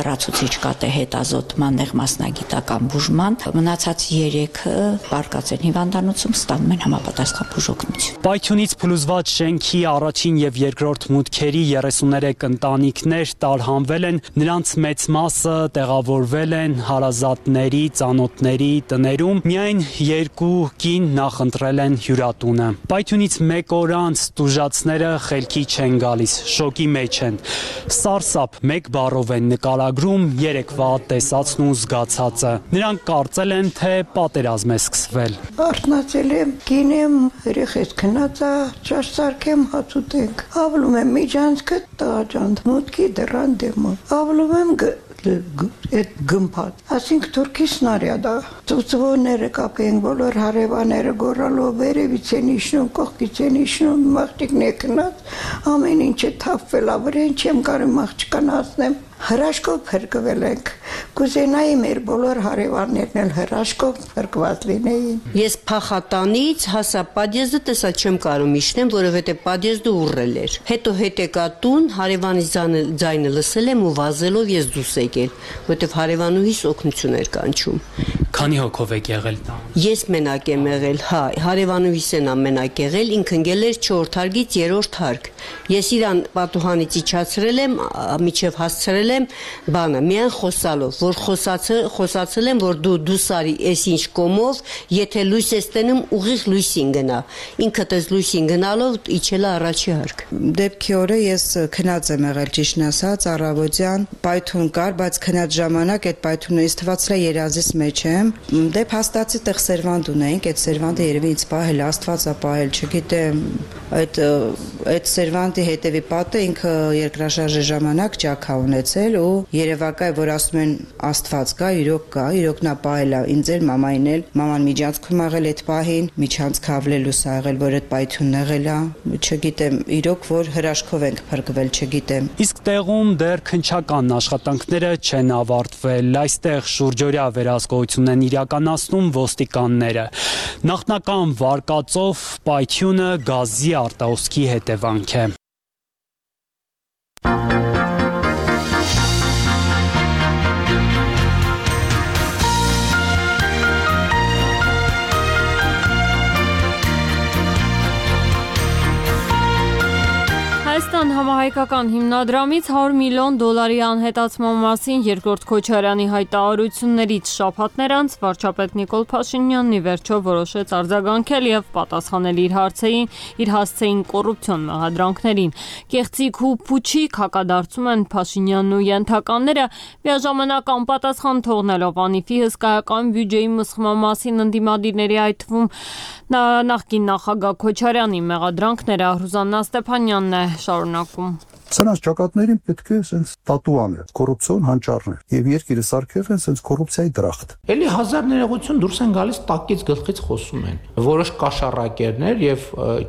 լրացուցիչ կատե հետազոտման նեղ մասնագիտական բուժման, մնացած 3-ը պարկած են հիվանդանոցում, ստանում են համապատասխան բուժօգնություն։
Պայթյունից փլուզված շենքի առաջին եւ երկրորդ մուտքերի 33 ընտանիքներ տարհանվել են, նրանց մեծ մասը տեղավորվել են հարազատների, ծանոթների տներում, միայն 2 կին նախընտրել են հյուրատունը։ Պայթյունից 1 օր անց տուժածները խելքի չեն գալիս, շոկի մեջ են։ Սարսափ 1 բառով են նկարագրում երեկվա տեսածն ու զգացածը։ Նրանք կարծել են, թե պատերազմ է սկսվել։
Արթնացել եմ, գինեմ, երեխես քնածա, ճաշ սարքեմ, հաց ուտենք։ Ավլում եմ միջանցքը տղաջան, մուտքի դռան դեմը։ Ավլում եմ այդ գմփած, ասինք թուրքի սնարյադա, ծուծվոները կապենք, բոլոր հարևանները գոռալով վերևից են իջնում, կողքից են իջնում, մաղջիկն է քնած, ամեն ինչը թափվել ավրեն, չեմ կարող աղջկան հասնեմ, հրաշքով փրկվել ենք, կուզենայի մեր բոլոր հարևաններն էլ հրաշքով փրկված լինեին։
Ես փախատանից հասա պատիեզը տեսա չեմ կարող իջնեմ, որովհետև պատիեզը ուռել էր։ Հետո հետեկա տուն, հարևանի ձայնը լսել եմ ու վազելով ես դուրս եկել, որովհետև հարևանուհիս օգնություն էր կանչում։
Քանի հոգով եք եղել։
Ես մենակ եմ եղել, հա, հարևանուհիս են ամենակ եղել, ինքը ընկել էր 4 հարգից 3-րդ հարկ։ Ես իրան պատուհանից իջացրել եմ, միջև հասցրել եմ բանը, միայն խոսալով, որ խոսացել եմ, որ դու սարի էս ինչ կոմով, եթե լույս ես տենում, ուղիղ լույսին գնա։ Ինքդ ես լույսին գնալով իջել առաջի հարկ։
Դեպքի օրը ես քնած եմ եղել, ճիշտն ասած, առավոտյան պայթուն կար, բայց քնած ժամանակ այդ պայթունը ինձ թվացել է երազից մեջ եմ։ Դե փաստացի տեղ սերվանդ ունեինք, այդ սերվանդը երևի ինձ պահել, Աստված է պահել, չգիտեմ, այդ սերվանդի հետևի պատը ինքը երկրաշարժի ժամանակ ճաքա ունեցել ու երևակայ, որ ասում են Աստված կա, իրոք նա պահել է ինձ էլ, մամային էլ, մաման միջանցքում աղել այդ պահին, միջանցքը ավլելուս ա եղել, որ այդ պայթյունն եղել է, չգիտեմ, իրոք որ հրաշքով ենք փրկվել, չգիտեմ։
Իսկ տեղում դեռ քննչական աշխատանքները չեն ավարտվել, այստեղ շուրջօրյա վերահսկողություն են իրականացնում ոստիկանները։ Նախնական վարկածով պայթյունը գազի արտահոսքի հետևանք է։
Հայաստան համահայկական հիմնադրամից $100 միլիոն անհետացման մասին երկրորդ Քոչարյանի հայտարարություններից շաբաթներ անց վարչապետ Նիկոլ Փաշինյանն ի վերջո որոշեց արձագանքել եւ պատասխանել իր հասցեին կոռուպցիոն մեղադրանքներին։ Կեղծիք ու փուչիկ հակադարձում են Փաշինյանն ու ենթականները, միաժամանակ անպատասխան թողնելով անիվի հսկայական բյուջեի մսխման մասին ընդդիմադիրների, այդ թվում նախկին նախագահ Քոչարյանի մեղադրանքները Ռուզաննա Ստեփանյանն է շարունակում։
Սրանց ճակատներին պետք է sense տատու անել, կոռուպցիոն հանճարներ եւ երկիրը սարքել են sense կոռուպցիայի դրախտ։
Էլի հազար ներողություն դուրս են գալիս տակից գլխից խոսում են։ Որոշ կաշառակերներ եւ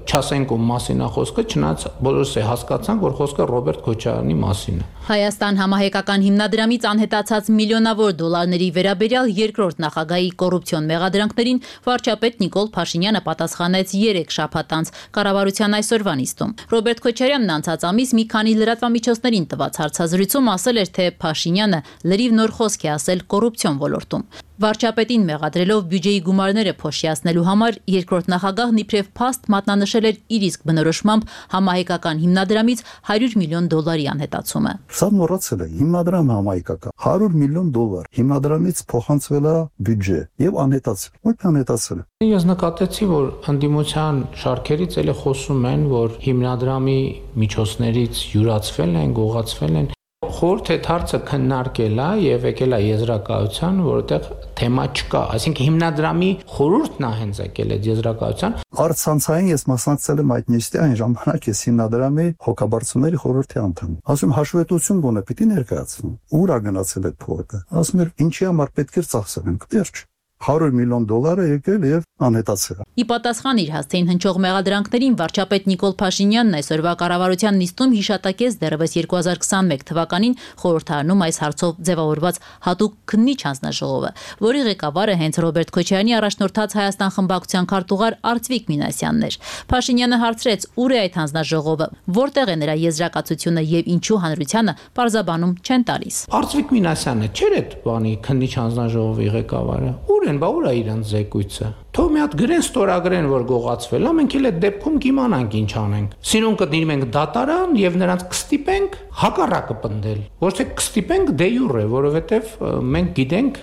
չասենք ում մասին է խոսքը, չնայած բոլորս է հասկացանք, որ խոսքը Ռոբերտ Քոչարյանի մասին է։
Հայաստան համահայկական հիմնադրամից անհետացած միլիոնավոր դոլարների վերաբերյալ երկրորդ նախագահի կոռուպցիոն մեղադրանքներին վարչապետ Նիկոլ Փաշինյանը պատասխանեց 3 շաբաթ անց կառավարության այսօրվա նիստում։ Ռոբերտ Քոչարյանն անցած ամիս մի քանի լրատվամիջոցներին տված հարցազրույցում ասել էր, թե Փաշինյանը լրիվ նոր խոսք է ասել կոռուպցիոն ոլորտում։ Վարչապետին մեղադրելով բյուջեի գումարները փոշիացնելու համար երկրորդ նախագահն իբրև փաստ մատնանշել էր իր իսկ բնորոշմամբ համահայկական հիմնադրամից $100 միլիոն անհետացումը։
Սա մոռացել է հիմնադրամը համահայկական $100 միլիոն հիմնադրամից փոխանցվել է բյուջե եւ անհետացել։ Ո՞ր անհետացել է։
Ես նկատեցի, որ ընդդիմության շարքերից էլի խոսում են, որ հիմնադրամի միջոցներից յուրացվել են, գողացվել են։ Խորհուրդ է հարցը քննարկել է եւ եկել է եզրակացության, որտեղ թեմա չկա, այսինքն հիմնադրամի խորհուրդն է հենց եկել այդ եզրակացության։
Արցանցային ես մասնակցել եմ այդ նիստի այն ժամանակ ես հիմնադրամի հոգաբարձուների խորհրդի անդամ։ Ասում հաշվետվություն գոնե պիտի ներկայացնեմ։ Ուր է գնացել այդ փողը։ Ասում էր ինչի համար պետք է ծախսենք, դեռ $100 միլիոն եկել եւ անհետացել։
Ի պատասխան իր հասցեին հնչող մեղադրանքներին վարչապետ Նիկոլ Փաշինյանն այսօրվա կառավարության նիստում հիշատակեց դեռևս 2021 թվականին խորհրդարանում այս հարցով ձևավորված հատուկ քննիչ հանձնաժողովը, որի ղեկավարը հենց Ռոբերտ Քոչարյանի առաջնորդած Հայաստան խմբակցության քարտուղար Արծվիկ Մինասյանն էր։ Փաշինյանը հարցրեց՝ ուր է այդ հանձնաժողովը, որտեղ է նրա եզրակացությունը եւ ինչու հանրությանը պարզաբանում չեն տալիս։
Արծվիկ Մինասյանը չէր այդ բանի քննիչ հանձնաժողովի ղեկավարը։ Ուր են, բա ուր է իրանց զեկույցը։ Թող մի հատ գրեն ստորագրեն, որ գողացվել է, մենք էլ այդ դեպքում կիմանանք ինչ անենք։ Սիրուն կդիմենք դատարան եւ նրանց կստիպենք հակառակը պնդել։ Ոչ թե կստիպենք դե յուրե, որովհետեւ մենք գիտենք,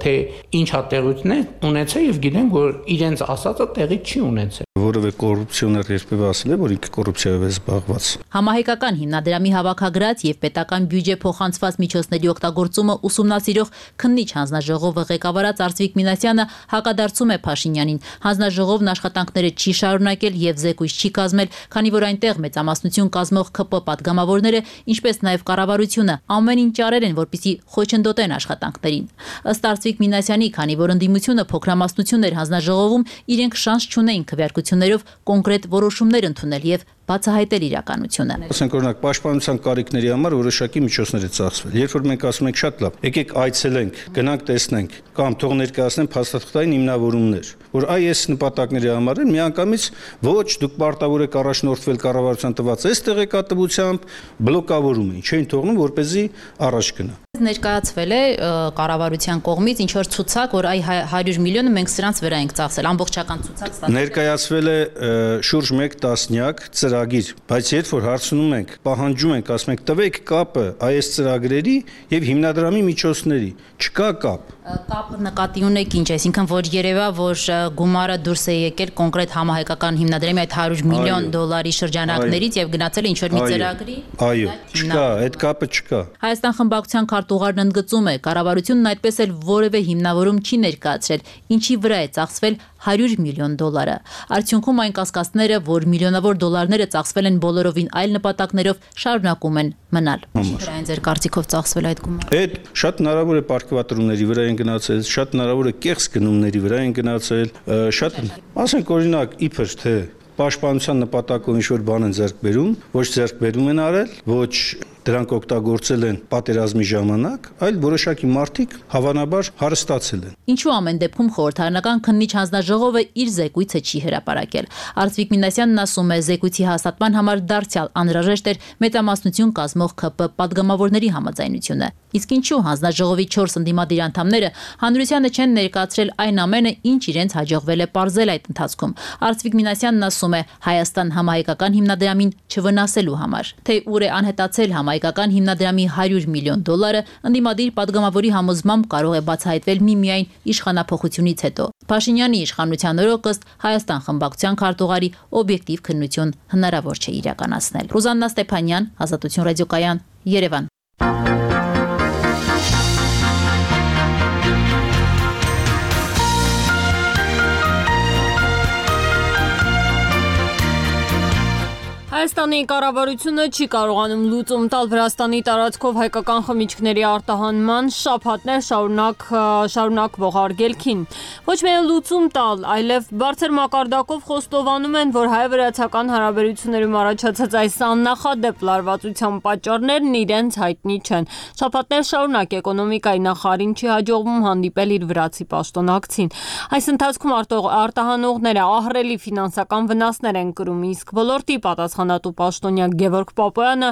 թե ինչ հատեղությունն է ունեցել եւ գիտենք, որ իրենց ասածը տեղի չի ունեցել։
Որովե կոռուպցիոներ երբևէ ասել է, որ ինքը կոռուպցիայով է զբաղված։
Համահայկական հիմնադրամի հավաքագրած եւ պետական բյուջե փոխանցված միջոցների օգտագործումը ուսումնասիրող քննիչ հանձնաժողովը ղեկավարած Արծվիկ Մինասյանը հակադարձում է Փաշինյանին։ Հանձնաժողովն աշխատանքները չի շարունակել եւ զեկույց չի կազմել, քանի որ այնտեղ մեծամասնություն կազմող ՔՊ պատգամավորները, ինչպես նաեւ կառավարությունը ամեն ինչ արել են, որպեսզի խոչընդոտեն աշխատանքներին։ Ըստ Արծվիկ Մինասյանի, քանի որ ընդդիմությունը փոքրամասնություն էր հանձնաժողովում, իրենք շանս չունեին քվեարկություններով կոնկրետ որոշումներ ընդունել եւ բացահայտել իրականությունը։
Ասենք օրինակ պաշտպանության կարիքների համար որոշակի միջոցներ է ծախսվել։ Երբ որ մենք ասում ենք շատ լավ, եկեք այցելենք, գնանք տեսնենք, կամ թող ներկայացնեն փաստաթղթային հիմնավորումներ, որ այս նպատակների համար են միանգամից ոչ դուք պարտավոր եք առաջնորդվել կառավարության տված այս տեղեկատվությամբ, բլոկավորում են, չէին թողնում, որպեսզի առաջ գնա։
Ներկայացվել է կառավարության կողմից ինչ որ ցուցակ, որ այ 100 միլիոնը մենք սրանց վրա ենք ծախսել, ամբողջական ցուցակ ստացել։
Ներկայացվել է շուրջ 1 տասնյակ ծրագիր, բայց երբ որ հարցնում ենք, պահանջում ենք, ասում ենք տվեք կապը այս ծրագրերի եւ հիմնադրամի միջոցների, չկա կապ։
Կապը նկատի ունեք ինչ, այսինքն որ երևա, որ գումարը դուրս է եկել կոնկրետ համահայկական հիմնադրամի այդ $100 միլիոն շրջանակներից եւ գնացել է ինչ որ մի ծրագրի։
Այո, չկա, այդ կապը չկա։
Հայաստան խմբակցության քարտուղարն ընդգծում է, կառավարությունն այդպես էլ որևէ հիմնավորում չի ներկայացրել, ինչի վրա է ծախսվել $100 միլիոն։ Արդյունքում այն կասկածները, որ միլիոնավոր դոլարները ծախսվել են բոլորովին այլ նպատակներով, շարունակում են մնալ։ Ինչի՞ այն ձեր կարծիքով ծախսվել այդ գումարը։
Այդ շատ հնարավոր է պարգևատրումների վրա են գնացել, շատ հնարավոր է կեղծ գնումների վրա են գնացել, շատ, ասենք օրինակ, իբր թե պաշտպանության նպատակով ինչ-որ բան են ձեռք բերում, ոչ ձեռք բերում են արել, ոչ դրանք օգտագործել են պատերազմի ժամանակ, այլ որոշակի մարդիկ հավանաբար հարստացել են։
Ինչու ամեն դեպքում խորհրդարանական քննիչ հանձնաժողովը իր զեկույցը չի հրապարակել։ Արծվիկ Մինասյանն ասում է, զեկույցի հաստատման համար դարձյալ անհրաժեշտ էր մեծամասնություն կազմող ՔՊ պատգամավորների համաձայնությունը։ Իսկ ինչու հանձնաժողովի 4 ընդդիմադիր անդամները հանրությանը չեն ներկայացրել այն ամենը, ինչ իրենց հաջողվել է պարզել այդ ընթացքում։ Արծվիկ Մինասյանն ասում է, Հայաստան համահայկական հիմնադրամին չվնասելու համար, թե ուր է անհետացել համահայկական հիմնադրամի $100 միլիոն, ընդդիմադիր պատգամավորի համոզմամբ կարող է բացահայտվել միմիայն իշխանափոխությունից հետո։ Փաշինյանի իշխանության օրոք ըստ Հայաստան խմբակցության քարտուղարի օբյեկտիվ քննություն հնարավոր չէ իրականացնել։ Ռուզաննա Ստեփանյան, Ազատություն ռադիոկայան, Երևան։
Հայաստանի կառավարությունը չի կարողանում լուծում տալ Վրաստանի տարածքով հայկական խմիչքների արտահանման շաբաթներ շարունակվող արգելքին։ Ոչ միայն լուծում տալ, այլև բարձր մակարդակով խոստովանում են, որ հայ-վրացական հարաբերություններում առաջացած այս աննախադեպ լարվածության պատճառներն իրենց հայտնի չեն։ Շաբաթներ շարունակ էկոնոմիկայի նախարարին չի հաջողվում հանդիպել իր վրացի պաշտոնակցին։ Այս ընթացքում արտահանողները ահռելի ֆինանսական վնասներ են կրում, իսկ ոլորտի պատասխանատու հիվանդանոց պաշտոնյա Գևորգ Պապոյանը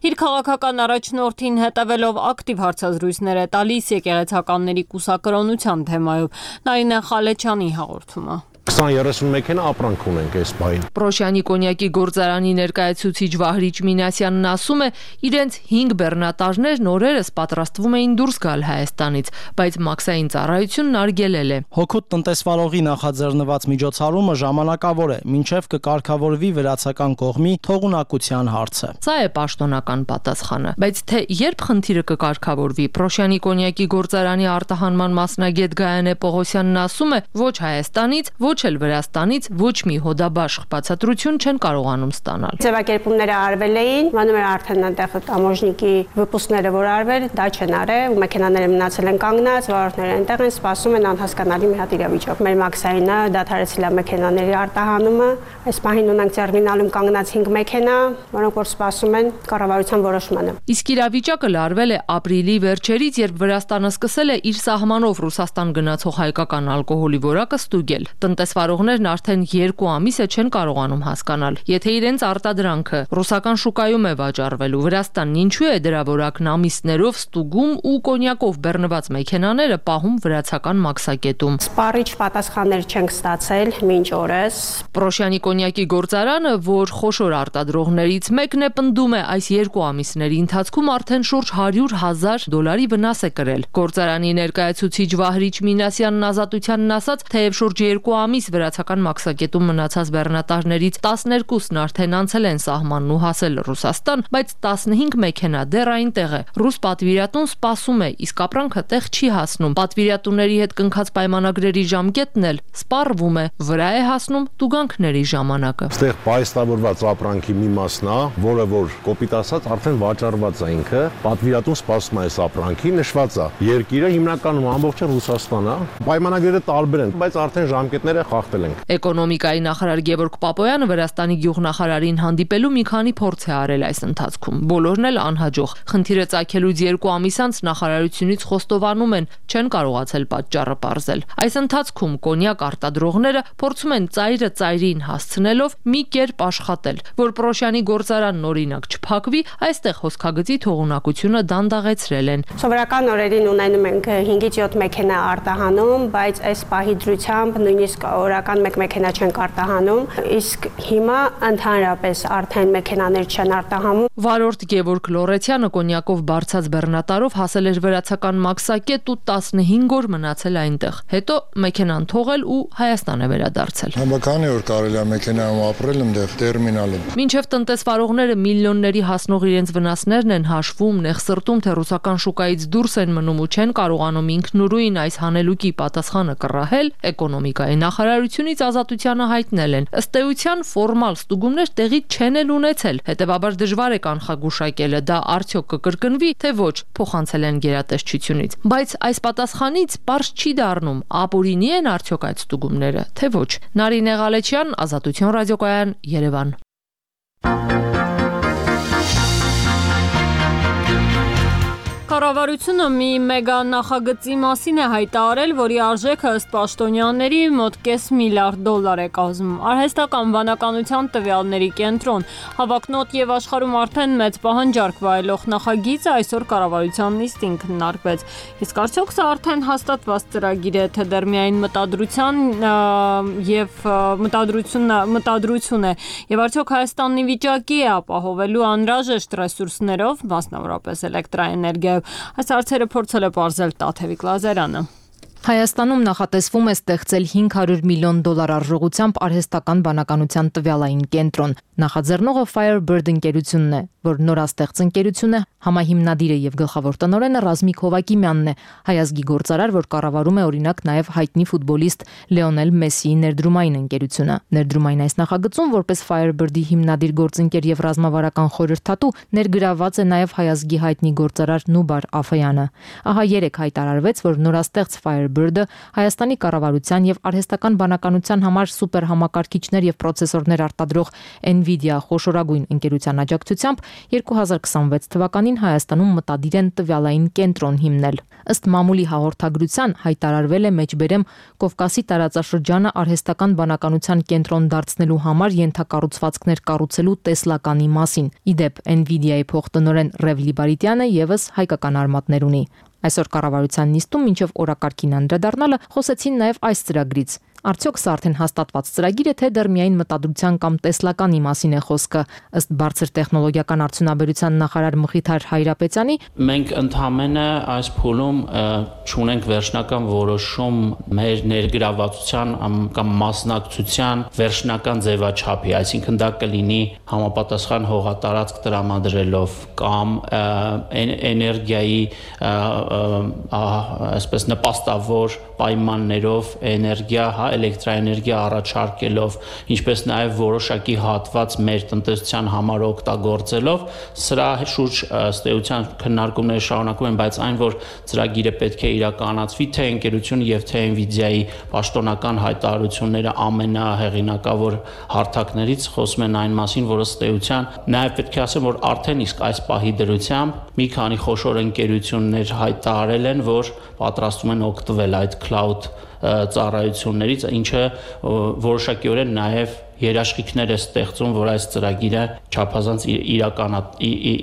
իր քաղաքական առաջնորդին հետևելով ակտիվ հարցազրույցներ է տալիս եկեղեցականների կուսակրոնության թեմայով։ Նարինե Խալեչյանի հաղորդումը։
20-30 մեքենա ապրանք ունենք այս բային։
Պրոշյանի կոնյակի գործարանի ներկայացուցիչ Վահրիչ Մինասյանն ասում է, իրենց 5 բեռնատարներն օրերս պատրաստվում էին դուրս գալ Հայաստանից, բայց մաքսային ծառայությունն արգելել է։
Հոգուտ տնտեսվարողի նախաձեռնված միջոցառումը ժամանակավոր է, մինչև կկարգավորվի վրացական կողմի թողունակության հարցը։
Սա է պաշտոնական պատասխանը, բայց թե երբ խնդիրը կկարգավորվի, Պրոշյանի կոնյակի գործարանի արտահանման մասնագետ Գայանե Պողոսյանն ասում է, ոչ Հայաստանից, ոչ էլ Վրաստանից ոչ մի հոդաբաշխ բացատրություն չեն կարողանում ստանալ։
Ձևակերպումները արվել էին, մանուր արդեն այնտեղ տամոժնիկի վպուսները որ արվել, դա չեն արել, ու մեքենաները մնացել են կանգնած, վարորդները այնտեղ են սպասում են անհասկանալի մի հատ իրավիճակ։ Մեր մաքսայինը դադարեցել է մեքենաների արտահանումը, այս պահին ունենք տերմինալում կանգնած 5 մեքենա, որոնք որ սպասում են կառավարության որոշմանը։
Իսկ իրավիճակը լարվել է ապրիլի վերջերից, երբ Վրաստանը սկսել է իր սահմանով Ռուսաստան գնացող հայկական ալկոհոլի որակը ստուգել։ Տնտեսվարողներն արդեն 2 ամիս է չեն կարողանում հասկանալ, եթե իրենց արտադրանքը ռուսական շուկայում է վաճառվելու, Վրաստանն ինչու է դրա որակն ամիսներով ստուգում ու կոնյակով բեռնված մեքենաները պահում վրացական մաքսակետում։
Սպառիչ պատասխաններ չենք ստացել մինչ օրս։
Պրոշյանի կոնյակի գործարանը, որ խոշոր արտադրողներից մեկն է, պնդում է այս 2 ամիսների ընթացքում արդեն շուրջ $100,000 վնաս է կրել։ Գործարանի ներկայացուցիչ Վահրիչ Մինասյանն Ազատությանն ասաց, թեև շուրջ 2 ամիս վրացական մաքսակետում մնացած բեռնատարներից 12-ն արդեն անցել են սահմանն ու հասել Ռուսաստան, բայց 15 մեքենա դեռ այնտեղ է։ Ռուս պատվիրատուն սպասում է, իսկ ապրանքը տեղ չի հասնում։ Պատվիրատուների հետ կնքած պայմանագրերի ժամկետն էլ սպառվում է, վրա է հասնում տուգանքների ժամանակը։
Այստեղ պայստավորված ապրանքի մի մասն է, որը որ կոպիտ ասած արդեն վաճառված է ինքը, պատվիրատուն սպասում է այս ապրանքի, նշված է։ Երկիրը հիմնականում ամբողջը Ռուսաստան է։ Պայմանագրերը տարբեր են, բայց արդեն ժամկետները խախտել ենք։
Էկոնոմիկայի նախարար Գևորգ Պապոյանը Վրաստանի գյուղնախարարին հանդիպելու մի քանի փորձ է արել այս ընթացքում։ Բոլորն էլ անհաջող։ Խնդիրը ծագելուց 2 ամիս անց նախարարությունից խոստովանում են, չեն կարողացել պատճառը պարզել։ Այս ընթացքում կոնյակ արտադրողները փորձում են ծայրը ծայրին հասցնելով մի կերպ աշխատել, որ Պրոշյանի գործարանն օրինակ չփակվի, այստեղ հոսքագծի թողունակությունը դանդաղեցրել են։
Սովորական օրերին ունենում ենք 5-ից 7 մեքենա արտահանում, բայց այս պահի դրությամբ նույնիսկ օրական 1 մեքենա չենք արտահանում, իսկ հիմա ընդհանրապես արդեն մեքենաներ չեն արտահանում։
Վարորդ Գևորգ Լորեցյանը կոնյակով բարձած բեռնատարով հասել էր վրացական մաքսակետ ու 15 օր մնացել այնտեղ։ Հետո մեքենան թողել ու Հայաստան է վերադարձել։
Քանի օր կարելի է մեքենայում ապրել այնտեղ տերմինալում։
Մինչև տնտեսվարողները միլիոնների հասնող իրենց վնասներն են հաշվում, նեղսրտում, թե ռուսական շուկայից դուրս են մնում ու չեն կարողանում ինքնուրույն այս հանելուկի պատասխանը կռահել, էկոնոմիկայի նախարարությունից Ազատությանը հայտնել են։ Ըստ էության ֆորմալ ստուգումներ տեղի չեն էլ ունեցել, հետևաբար դժվար է կանխագուշակելը դա արդյոք կկրկնվի, թե ոչ, փոխանցել են գերատեսչությունից։ Բայց այս պատասխանից պարզ չի դառնում, ապօրինի են արդյոք այդ ստուգումները, թե ոչ։ Նարինե Խալեչյան, Ազատություն ռադիոկայան, Երևան։
Կառավարությունը մի մեգա նախագծի մասին է հայտարարել, որի արժեքը ըստ պաշտոնյաների մոտ $500 միլիարդ է կազմում։ Արհեստական վանականության տվյալների կենտրոն հավակնոտ եւ աշխարհում արդեն մեծ պահանջարկ վայելող նախագիծը այսօր կառավարության նիստին քննարկվեց։ Իսկ արդյոք սա արդեն հաստատված ծրագիր է, թե դեռ միայն մտադրություն է, եւ արդյոք Հայաստանն ի վիճակի է ապահովելու անհրաժեշտ ռեսուրսներով, մասնավորապես էլեկտրաէներգիա։ Այս հարցերը փորձել է պարզել Տաթևիկ Լազարյանը։
Հայաստանում նախատեսվում է ստեղծել $500 միլիոն արժողությամբ արհեստական բանականության տվյալային կենտրոն։ Նախաձեռնողը Firebird ընկերությունն է, որ նորաստեղծ ընկերություն է, համահիմնադիրը եւ գլխավոր տնօրենը Ռազմիկ Հովակիմյանն է, հայազգի գործարար, որ կառավարում է օրինակ նաեւ հայտնի ֆուտբոլիստ Լեոնել Մեսսիի ներդրումային ընկերությունը։ Ներդրումային այս նախագծում որպես Firebird-ի հիմնադիր գործընկեր եւ ռազմավարական խորհրդատու ներգրավված է նաեւ հայազգի հայտնի գործարար Նուբար Աֆեյանը։ Ահա երեք հայտարարվեց, որ նորաստեղծ Firebird Firebird-ը Հայաստանի կառավարության եւ արհեստական բանականության համար սուպերհամակարգիչներ եւ պրոցեսորներ արտադրող Nvidia խոշորագույն ընկերության աջակցությամբ 2026 թվականին Հայաստանում մտադիր են տվյալային կենտրոն հիմնել։ Ըստ մամուլի հաղորդագրության հայտարարվել է մեջբերեմ Կովկասի տարածաշրջանը արհեստական բանականության կենտրոն դարձնելու համար ենթակառուցվածքներ կառուցելու տեսլականի մասին։ Իդեպ Nvidia-ի փոխտնօրեն Ռև Լիբարիտյանը եւս հայկական արմատներ ունի։ Այսօր կառավարության նիստում մինչև օրակարգին անդրադառնալը խոսեցին նաև այս ծրագրից։ Արդյոք սա արդեն հաստատված ծրագիր է, թե դեռ միայն մտադրության կամ տեսլականի մասին է խոսքը։ Ըստ բարձր տեխնոլոգիական արդյունաբերության նախարար Մխիթար Հայրապետյանի,
մենք ընդհանրապես այս փուլում չունենք վերջնական որոշում մեր ներգրավվածության կամ մասնակցության վերջնական ձևաչափի, այսինքն դա կլինի համապատասխան հողատարածք տրամադրելով կամ էներգիայի այսպես նպաստավոր պայմաններով էներգիա, էլեկտրաէներգիա առաջարկելով, ինչպես նաև որոշակի հատված մեր տնտեսության համար օգտագործելով, սրա շուրջ ըստ էության քննարկումները շարունակվում են, բայց այն, որ ծրագիրը պետք է իրականացվի, թե ընկերությունը եւ թե Nvidia-ի պաշտոնական հայտարարությունները ամենահեղինակավոր հարթակներից խոսում են այն մասին, որ ըստ էության նաև պետք է ասեմ, որ արդեն իսկ այս պահի դրությամբ մի քանի խոշոր ընկերություններ հայտարարել են, որ պատրաստվում են օգտվել այդ cloud ծառայություններից, ինչը որոշակիորեն նաև երաշխիքներ է ստեղծում, որ այս ծրագիրը չափազանց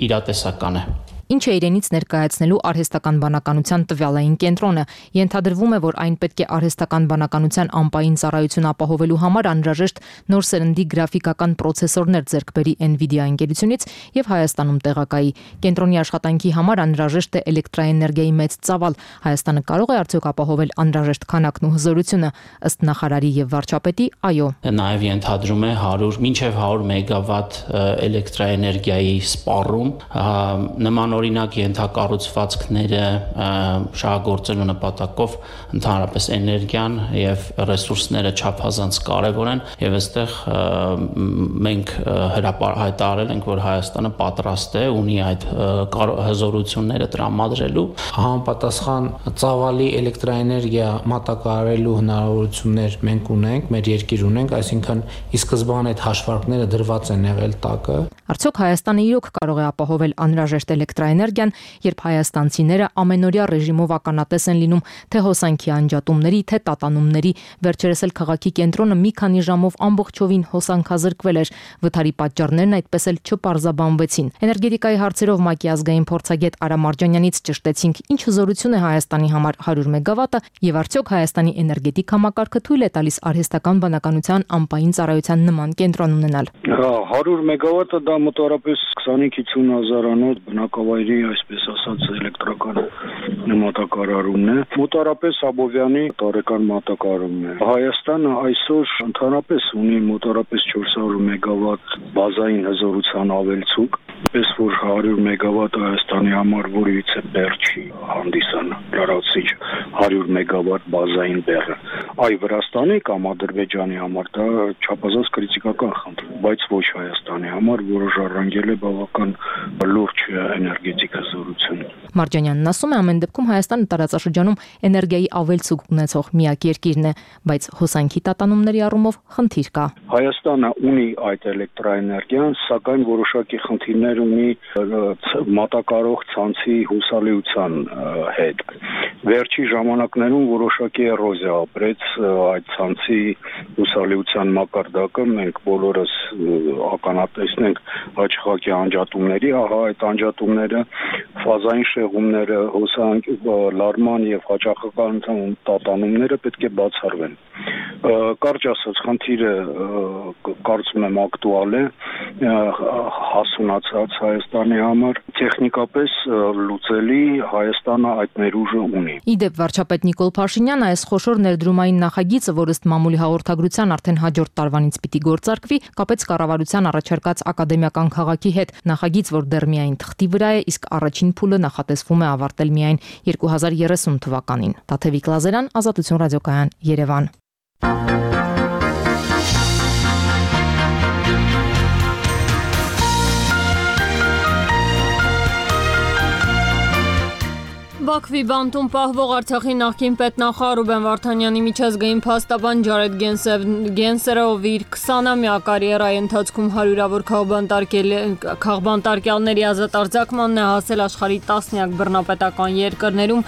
իրատեսական է։
Ինչ է իրենից ներկայացնելու արհեստական բանականության տվյալային կենտրոնը։ Ենթադրվում է, որ այն պետք է արհեստական բանականության անպային ծառայություն ապահովելու համար անհրաժեշտ նոր սերնդի գրաֆիկական պրոցեսորներ ձեռք բերի Nvidia ընկերությունից եւ Հայաստանում տեղակայի։ Կենտրոնի աշխատանքի համար անհրաժեշտ է էլեկտրաէներգիայի մեծ ծավալ։ Հայաստանը կարող է արդյոք ապահովել անհրաժեշտ քանակն ու հզորությունը։ Ըստ նախարարի եւ վարչապետի, այո։
Նաեւ ենթադրում է 100 մեգավատ էլեկտրաէներգիայի սպառում, նման օրինակ ենթակառուցվածքները շահագործելու նպատակով ընդհանրապես էներգիան եւ ռեսուրսները չափազանց կարեւոր են եւ այստեղ մենք հայտարարել ենք, որ Հայաստանը պատրաստ է ունի այդ հզորությունները տրամադրելու
համապատասխան ծավալի էլեկտրաէներգիա մատակարարելու հնարավորություններ մենք ունենք, մեր երկիր ունենք, այսինքն ի սկզբանե այդ հաշվարկները դրված են եղել տակը։
Արդյոք Հայաստանը իրոք կարող է ապահովել անհրաժեշտ էլեկտրաէներգիան, երբ հայաստանցիները ամենօրյա ռեժիմով ականատես են լինում թե հոսանքի անջատումների, թե տատանումների, վերջերս էլ քաղաքի կենտրոնը մի քանի ժամով ամբողջովին հոսանքազրկվել էր, վթարի պատճառներն այդպես էլ չպարզաբանվեցին։ Էներգետիկայի հարցերով ՄԱԿ-ի ազգային փորձագետ Արա Մարջանյանից ճշտեցինք, ինչ հզորություն է Հայաստանի համար 100 մեգավատը եւ արդյոք Հայաստանի էներգետիկ համակարգը թույլ է տալիս արհեստական բանականության անպային ծառայության նման կենտրոն ունենալ։
100 մեգավատը դա մոտավորապես 25-50 հազարանոց բնակավայրի, այսպես ասած, էլեկտրական մատակարարումն է։ Մոտավորապես Աբովյանի տարեկան մատակարարումն է։ Հայաստանը այսօր ընդհանրապես ունի մոտավորապես 400 մեգավատ բազային հզորության ավելցուկ, պես որ 100 մեգավատ Հայաստանի համար որևիցե բեռ չի հանդիսանա, լրացիչ 100 մեգավատ բազային բեռը։ Այ Վրաստանի կամ Ադրբեջանի համար դա չափազանց քրիտիկական խնդիր, բայց ոչ Հայաստանի համար, որը ժառանգել է բավական լուրջ էներգետիկ հզորություն։
Մարջանյանն ասում է, ամեն դեպքում Հայաստանը տարածաշրջանում էներգիայի ավելցուկ ունեցող միակ երկիրն է, բայց հոսանքի տատանումների առումով խնդիր կա։
Հայաստանը ունի այդ էլեկտրաէներգիան, սակայն որոշակի խնդիրներ ունի մատակարող ցանցի հուսալիության հետ։ Վերջի ժամանակներում որոշակի էրոզիա ապրեց այդ ցանցի հուսալիության մակարդակը, մենք բոլորս ականատեսն ենք հաճախակի անջատումների, ահա այդ անջատումները, ֆազային շեղումները, հոսանքի լարման եւ հաճախականության տատանումները պետք է բացառվեն։ Կարճ ասած, խնդիրը կարծում եմ ակտուալ է, հասունացած Հայաստանի համար, տեխնիկապես լուծելի Հայաստանը այդ ներուժը ունի։
Իդեպ վարչապետ Նիկոլ Փաշինյանը այս խոշոր ներդրումային նախագիծը, որ ըստ մամուլի հաղորդագրության արդեն հաջորդ տարվանից պիտի գործարկվի, կապեց կառավարության առաջարկած ակադեմիական քաղաքի հետ։ Նախագիծ, որ դեռ միայն թղթի վրա է, իսկ առաջին փուլը նախատեսվում է ավարտել միայն 2030 թվականին։ Տաթևիկ Լազերյան, Ազատություն ռադիոկայան, Երևան։
Բաքվի Բաքվի բանտում պահվող Արցախի նախկին պետնախարար Ռուբեն Վարդանյանի միջազգային փաստաբան Ջարեդ Գենսերը, ով իր 20-ամյա կարիերայի ընթացքում հարյուրավոր քաղբանտարկյալների ազատ արձակմանն է հասել աշխարհի տասնյակ բռնապետական երկրներում,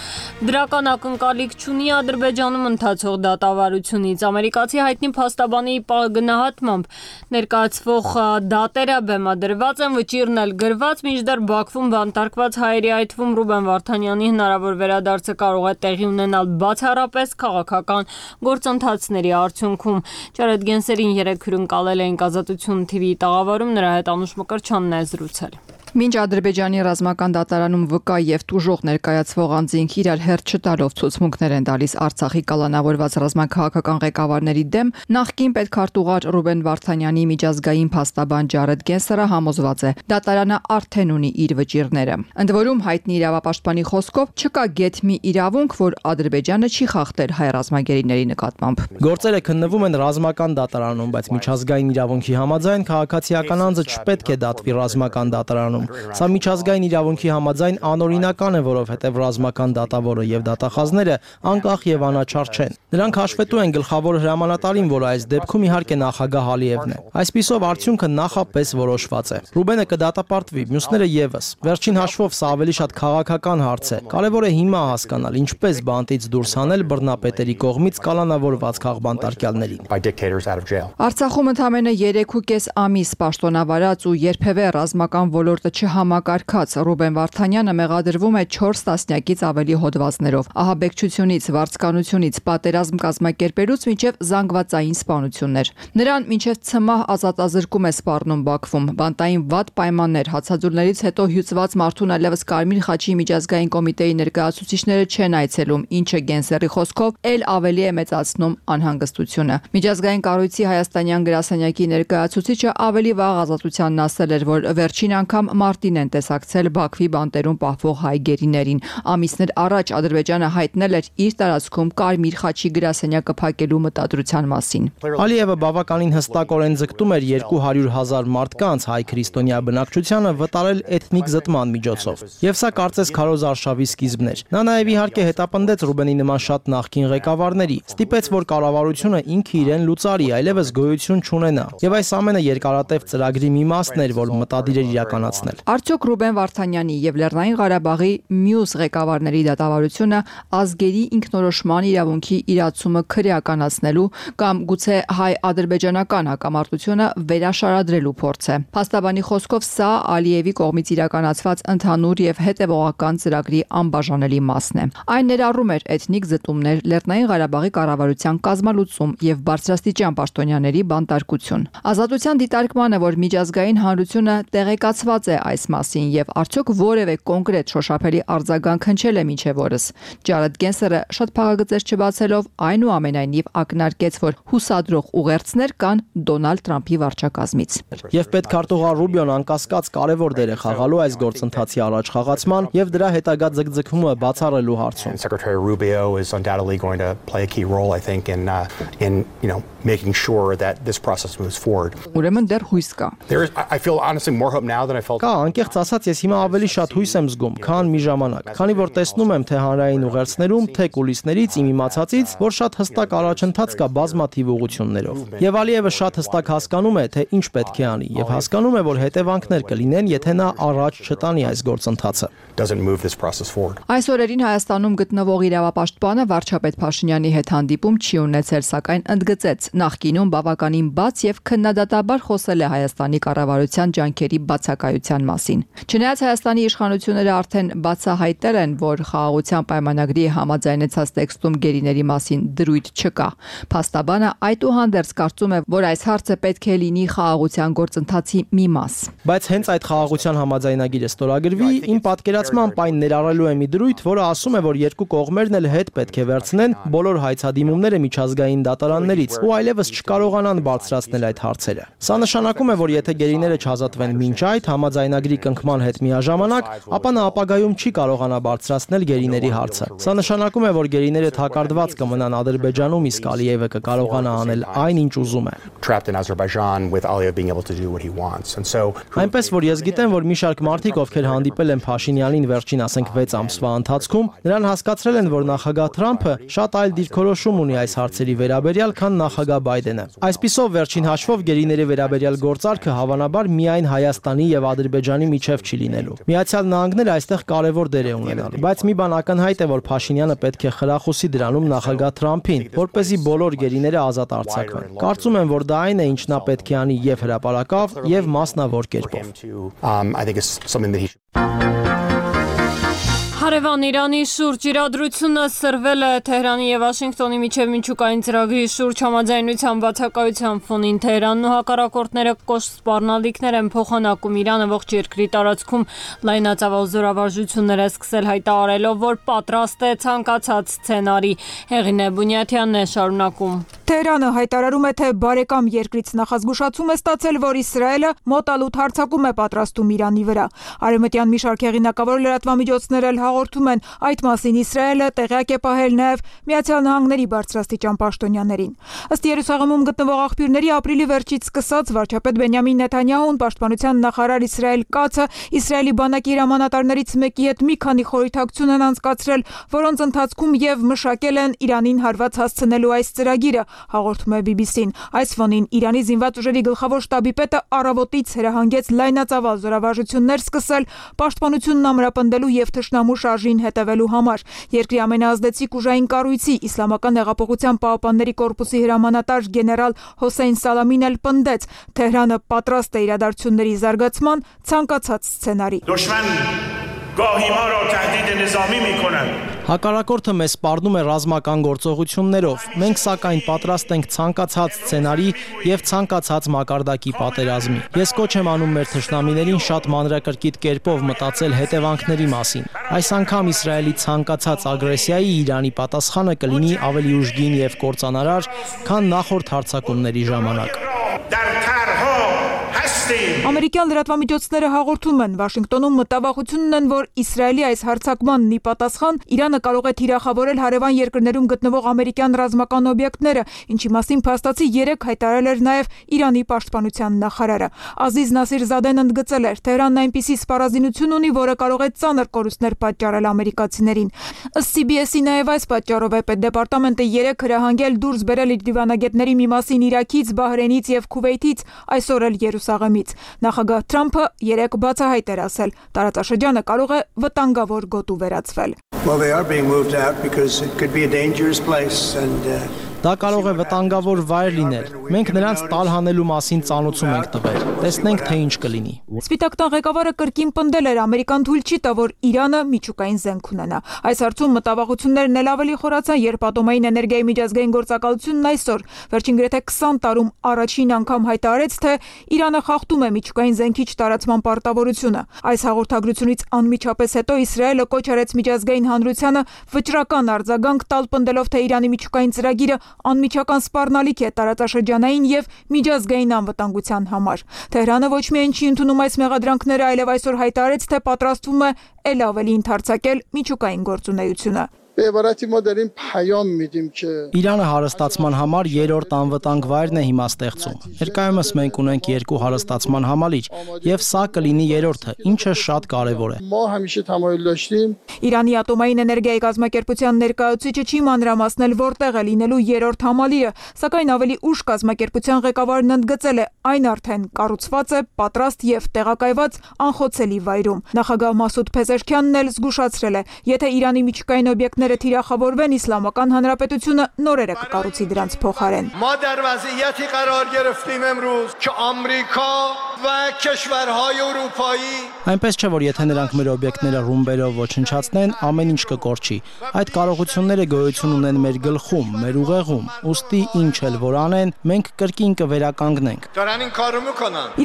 դրական ակնկալիք չունի Ադրբեջանում ընթացող դատավարությունից։ Ամերիկացի հայտնի փաստաբանի գնահատմամբ ներկայացվող դատերը բեմադրված են, վճիրն էլ գրված, մինչդեռ Բաքվում բանտարկված հայերի, այդ թվում Ռուբեն Վարդանյանի հնարավոր վերադարձը կարող է տեղի ունենալ բացառապես քաղաքական գործընթացների արդյունքում։ Ջարեդ Գենսերին երեկ հյուրընկալել էինք Ազատություն TV-ի տաղավարում, նրա հետ Անուշ Մկրտչյանն է զրուցել։
Մինչ Ադրբեջանի ռազմական դատարանում վկա եւ տուժող ներկայացվող անձինք իրար հերթ չտալով ցուցմունքներ են տալիս Արցախի կալանավորված ռազմաքաղաքական ղեկավարների դեմ, նախկին պետքարտուղար Ռուբեն Վարդանյանի միջազգային փաստաբան Ջարեդ Գենսերը համոզված է, դատարանը արդեն ունի իր վճիռները։ Ընդ որում հայտնի իրավապաշտպանի խոսքով չկա գեթ մի իրավունք, որ Ադրբեջանը չի խախտել հայ ռազմագերիների նկատմամբ։
Գործերը քննվում են ռազմական դատարանում, բայց միջազգային իրավունքի համաձայն քաղաքացիական անձը չպետք է դատվի ռազմական դատարանում։ Սա միջազգային իրավունքի համաձայն անօրինական է, որովհետև ռազմական դատավորը եւ դատախազները անկախ եւ անաչառ չեն։ Նրանք հաշվետու են գլխավոր հրամանատարին, որը այս դեպքում իհարկե նախագահ Ալիևն է։ Այսպիսով արդյունքը նախապես որոշված է։ Ռուբենը կդատապարտվի, մյուսները եւս։ Վերջին հաշվով սա ավելի շատ քաղաքական հարց է։ Կարևոր է հիմա հասկանալ, ինչպես բանտից դուրս հանել բռնապետերի կողմից կալանավորված քաղբանտարկյալներին։
Արցախում ընդամենը 3.5 ամիս պաշտոնավարած ու երբևէ ռազմական ոլորտը չհամակարգած Ռուբեն Վարդանյանը մեղադրվում է 4 տասնյակից ավելի հոդվածներով, ահաբեկչությունից, վարձկանությունից, պատերազմ կազմակերպելուց մինչև զանգվածային սպանություններ։ Նրան մինչև ցմահ ազատազրկում է սպառնում Բաքվում, բանտային վատ պայմաններ, հացաձուլներից հետո հյուծված մարդուն այլևս Կարմիր խաչի միջազգային կոմիտեի ներկայացուցիչները չեն այցելում, ինչը Գենսերի խոսքով էլ ավելի է մեծացնում անհանգստությունը։ Միջազգային կառույցի հայաստանյան գրասենյակի ներկայացուցիչը ավելի վաղ ազատությանն ասել էր, որ վերջին անգամ մարտին են տեսակցել Բաքվի բանտերում պահվող հայ գերիներին։ Ամիսներ առաջ Ադրբեջանը հայտնել էր իր տարածքում Կարմիր խաչի գրասենյակը փակելու մտադրության մասին։
Ալիևը բավականին հստակորեն ձգտում էր 200,000 մարդկանց հայ քրիստոնյա բնակչությանը վտարել էթնիկ զտման միջոցով։ Եվ սա կարծես քարոզ արշավի սկիզբն էր։ Նա նաև իհարկե հետապնդեց Ռուբենի նման շատ նախկին ղեկավարների, ստիպեց, որ կառավարությունը ինքը իրեն լուծարի, այլևս գոյություն չունենա։ Եվ այս ամենը երկարատև ծրագրի մի մասն էր, որ մտադիր էր իրականացնել։
Արդյոք Ռուբեն Վարդանյանի եւ Լեռնային Ղարաբաղի մյուս ղեկավարների դատավարությունը ազգերի ինքնորոշման իրավունքի իրացումը քրեականացնելու կամ գուցե հայ-ադրբեջանական հակամարտությունը վերաշարադրելու փորձ է։ Փաստաբանի խոսքով սա Ալիևի կողմից իրականացված ընդհանուր եւ հետեւողական ծրագրի անբաժանելի մասն է։ Այն ներառում էր էթնիկ զտումներ, Լեռնային Ղարաբաղի կառավարության կազմալուծում եւ բարձրաստիճան պաշտոնյաների բանտարկություն։ Ազատության դիտարկմանը, որ միջազգային հանրությունը տեղեկացված է այս մասին եւ արդյոք որևէ կոնկրետ շոշափելի արձագանք հնչել է մինչեւ օրս։ Ջարեդ Գենսերը շատ փաղագծեր չբացելով այնուամենայնիվ ակնարկեց, որ հուսադրող ուղերձներ կան Դոնալդ Թրամփի վարչակազմից։
Եվ պետքարտուղար Ռուբիոն անկասկած կարևոր դեր է խաղալու այս գործընթացի առաջխաղացման եւ դրա հետագա ձգձգումը բացառելու հարցում։
Secretary Rubio is undoubtedly going to play a key role, I think, in making sure that this process moves forward.
Ուրեմն դեռ հույս կա։
I feel honestly more hope now than I felt.
Կա, անկեղծ ասած, ես հիմա ավելի շատ հույս եմ զգում, քան մի ժամանակ, քանի որ տեսնում եմ թե հանրային ուղերձներում, թե կուլիսներից իմ իմացածից, որ շատ հստակ առաջընթաց կա բազմաթիվ ուղղություններով։ Եվ Ալիևը շատ հստակ հասկանում է, թե ինչ պետք է անի, եւ հասկանում է, որ հետևանքներ կլինեն, եթե նա առաջ չտանի այս գործընթացը։
Այս օրերին Հայաստանում գտնվող իրավապաշտպանը վարչապետ Փաշինյանի հետ հանդիպում չի ունեցել, սակայն ընդգծեց, նախկինում բավականին բաց եւ քննադատաբար խոսել է Հայաստանի կառավարության ջանքերի բացակայության մասին։ Չնայած Հայաստանի իշխանությունները արդեն բացահայտել են, որ խաղաղության պայմանագրի համաձայնեցած տեքստում գերիների մասին դրույթ չկա, փաստաբանը այդուհանդերձ կարծում է, որ այս հարցը պետք է լինի խաղաղության գործընթացի մի մաս։
Բայց հենց այդ խաղաղության համաձայնագիրը ստորագրվի, իմ պատկերացմամբ այն ներառելու է մի դրույթ, որը ասում է, որ երկու կողմերն էլ հետ պետք է վերցնեն բոլոր հայցադիմումները միջազգային դատարաններից ու այլևս չկարողանան բարձրացնել այդ հարցերը։ Սա նշանակում է, որ եթե գերիները չազատվեն մինչ այդ, համաձայնագրի կնքման հետ միաժամանակ, ապա նա ապագայում չի կարողանա բարձրացնել գերիների հարցը։ Սա նշանակում է, որ գերիները թակարդված կմնան Ադրբեջանում, իսկ Ալիևը կկարողանա անել այն, ինչ ուզում է։ Այնպես որ ես գիտեմ, որ մի շարք մարդիկ, ովքեր հանդիպել են Փաշինյանին վերջին, ասենք 6 ամսվա ընթացքում, նրան հասկացրել են, որ նախագահ Թրամփը շատ այլ դիրքորոշում ունի այս հարցերի վերաբերյալ, քան նախագահ Բայդենը։ Այսպիսով վերջին հաշվով գերիների վերաբերյալ գործարքը հավանաբար միայն Հայաստանի եւ Ադրբեջանի միջև չի լինելու։ Միացյալ Նահանգները այստեղ կարևոր դեր է ունենալու, բայց մի բան ակնհայտ է, որ Փաշինյանը պետք է խրախուսի դրանում նախագահ Թրամփին, որպեսզի բոլոր գերիները ազատ արձակվեն։ Կարծում եմ, որ դա այն է, ինչ նա պետք է անի եւ հրապարակավ, եւ մասնավոր կերպով։
Հարևան Իրանի շուրջ իրադրությունը սրվել է Թեհրանի եւ Վաշինգտոնի միջև միջուկային ծրագրի շուրջ համաձայնության բացակայության ֆոնին։ Թեհրանն ու հակառակորդները կոշտ սպառնալիքներ են փոխանակում Իրանը ողջ երկրի տարածքում լայնածավալ զորավարժություններ է սկսել հայտարարելով, որ պատրաստ է ցանկացած սցենարի։ Հեղինե Բունյաթյանն է շարունակում։
Թեհրանը հայտարարում է, թե բարեկամ երկրից նախազգուշացում է ստացել, որ Իսրայելը մոտալուտ հարձակում է պատրաստում Իրանի վրա։ Արևմտյան մի շարք հեղինակավոր լրատվամիջոցներ էլ հաղորդում են այդ մասին Իսրայելը տեղյակ է պահել նաև Միացյալ Նահանգների բարձրաստիճան պաշտոնյաներին։ Ըստ Երուսաղեմում գտնվող աղբյուրների, ապրիլի վերջից սկսած վարչապետ Բենյամին Նեթանյահուն, պաշտպանության նախարար Իսրայել Կացը Իսրայելի բանակի հրամանատարներից մեկի հետ մի քանի խորհրդակցություն են անցկացրել, որոնց ընթացքում եւ մշակել են Իրանին հարված հասցնելու այս ծրագիրը, հաղորդում է BBC-ն։ Այս ֆոնին Իրանի զինված ուժերի գլխավոր շտաբի պետը առավոտից հրահանգեց լայնածավալ զորավարժություններ սկսել պաշտպանությունն ամրապնդելու եւ թշնամու շարժին հետևելու համար։ Երկրի ամենաազդեցիկ ուժային կառույցի Իսլամական հեղափոխության պահապանների կորպուսի հրամանատար գեներալ Հոսեյն Սալամին էլ պնդեց, Թեհրանը պատրաստ է իրադարձությունների զարգացման ցանկացած սցենարի։
Հակառակորդը մեզ սպառնում է ռազմական գործողություններով։ Մենք սակայն պատրաստ ենք ցանկացած սցենարի եւ ցանկացած մակարդակի պատերազմի։ Ես կոչ եմ անում մեր թշնամիներին շատ մանրակրկիտ կերպով մտածել հետևանքների մասին։ Այս անգամ Իսրայելի ցանկացած ագրեսիայի Իրանի պատասխանը կլինի ավելի ուժգին եւ կործանարար, քան նախորդ հարձակումների ժամանակ։
Ամերիկյան լրատվամիջոցները հաղորդում են, Վաշինգտոնում մտավախությունն են, որ Իսրայելի այս հարձակմանն ի պատասխան Իրանը կարող է թիրախավորել հարևան երկրներում գտնվող ամերիկյան ռազմական օբյեկտները, ինչի մասին փաստացի 3 հայտարարել էր նաև Իրանի պաշտպանության նախարարը։ Ազիզ Նասիր Զադեն ընդգծել էր, Թեհրանն այնպիսի սպառազինություն ունի, որը կարող է ծանր կորուստներ պատճառել ամերիկացիներին։ Ըստ CBS-ի նաև այս պատճառով է պետդեպարտամենտը 3 հրահանգել դուրս բերել իր դիվանագետների մի մասին Իրաքից, Բահրեյնից եւ Քուվեյթից, այսօր էլ Երուսաղեմից։ Նախագահ Թրամփը 3 բացահայտ էր ասել, տարածաշրջանը կարող է վտանգավոր գոտու վերածվել։
Դա կարող է վտանգավոր վայր լինել։ Մենք նրանց տալհանելու մասին ծանոթում ենք տվել։ Տեսնենք, թե ինչ կլինի։
Սպիտակ տան ղեկավարը կրկին պնդել էր, ամերիկան թույլ չի տա, որ Իրանը միջուկային զենք ունենա։ Այս հարցում մտավախություններն էլ ավելի խորացան, երբ ատոմային էներգիայի միջազգային գործակալությունն այսօր վերջին գրեթե 20 տարում առաջին անգամ հայտարարեց, թե Իրանը խախտում է միջուկային զենքիչ տարածման պարտավորությունը։ Այս հաղորդագրությունից անմիջապես հետո Իսրայելը կոչ արեց միջազգային հանրությանը վճռական արձագանք տալ, պնդելով, թե Իրանի միջուկային ծրագիրը անմիջական սպառնալիք է տարածաշրջանային եւ միջազգային անվտանգության համար։ Թեհրանը ոչ միայն չի ընդունում այս մեղադրանքները, այլև այսօր հայտարարեց, թե պատրաստվում է ել ավելի ընդարձակել միջուկային գործունեությունը։
Իրանը հարստացման համար 3-րդ անվտանգ վայրն է հիմա ստեղծում։ Ներկայումս մենք ունենք 2 հարստացման համալիր, եւ սա կլինի 3-րդը, ինչը շատ կարեւոր է։
Իրանի ատոմային էներգիայի կազմակերպության ներկայացուցիչը չի մանրամասնել որտեղ է լինելու 3-րդ համալիրը, սակայն ավելի ուշ կազմակերպության ղեկավարն ընդգծել է, այն արդեն կառուցված է, պատրաստ եւ տեղակայված անխոցելի վայրում։ Նախագահ Մասուդ Փեզեշքյանն էլ զգուշացրել է, եթե Իրանի միջուկային օբյեկտները թիրախավորվեն, Իսլամական Հանրապետությունը նորերը կկառուցի դրանց փոխարեն։
Այնպես չէ, որ եթե նրանք մեր օբյեկտները ռումբերով ոչնչացնեն, ամեն ինչ կկորչի։ Այդ կարողությունները գոյություն ունեն մեր գլխում, մեր ուղեղում, ուստի ինչ էլ որ անեն, մենք կրկին կվերականգնենք։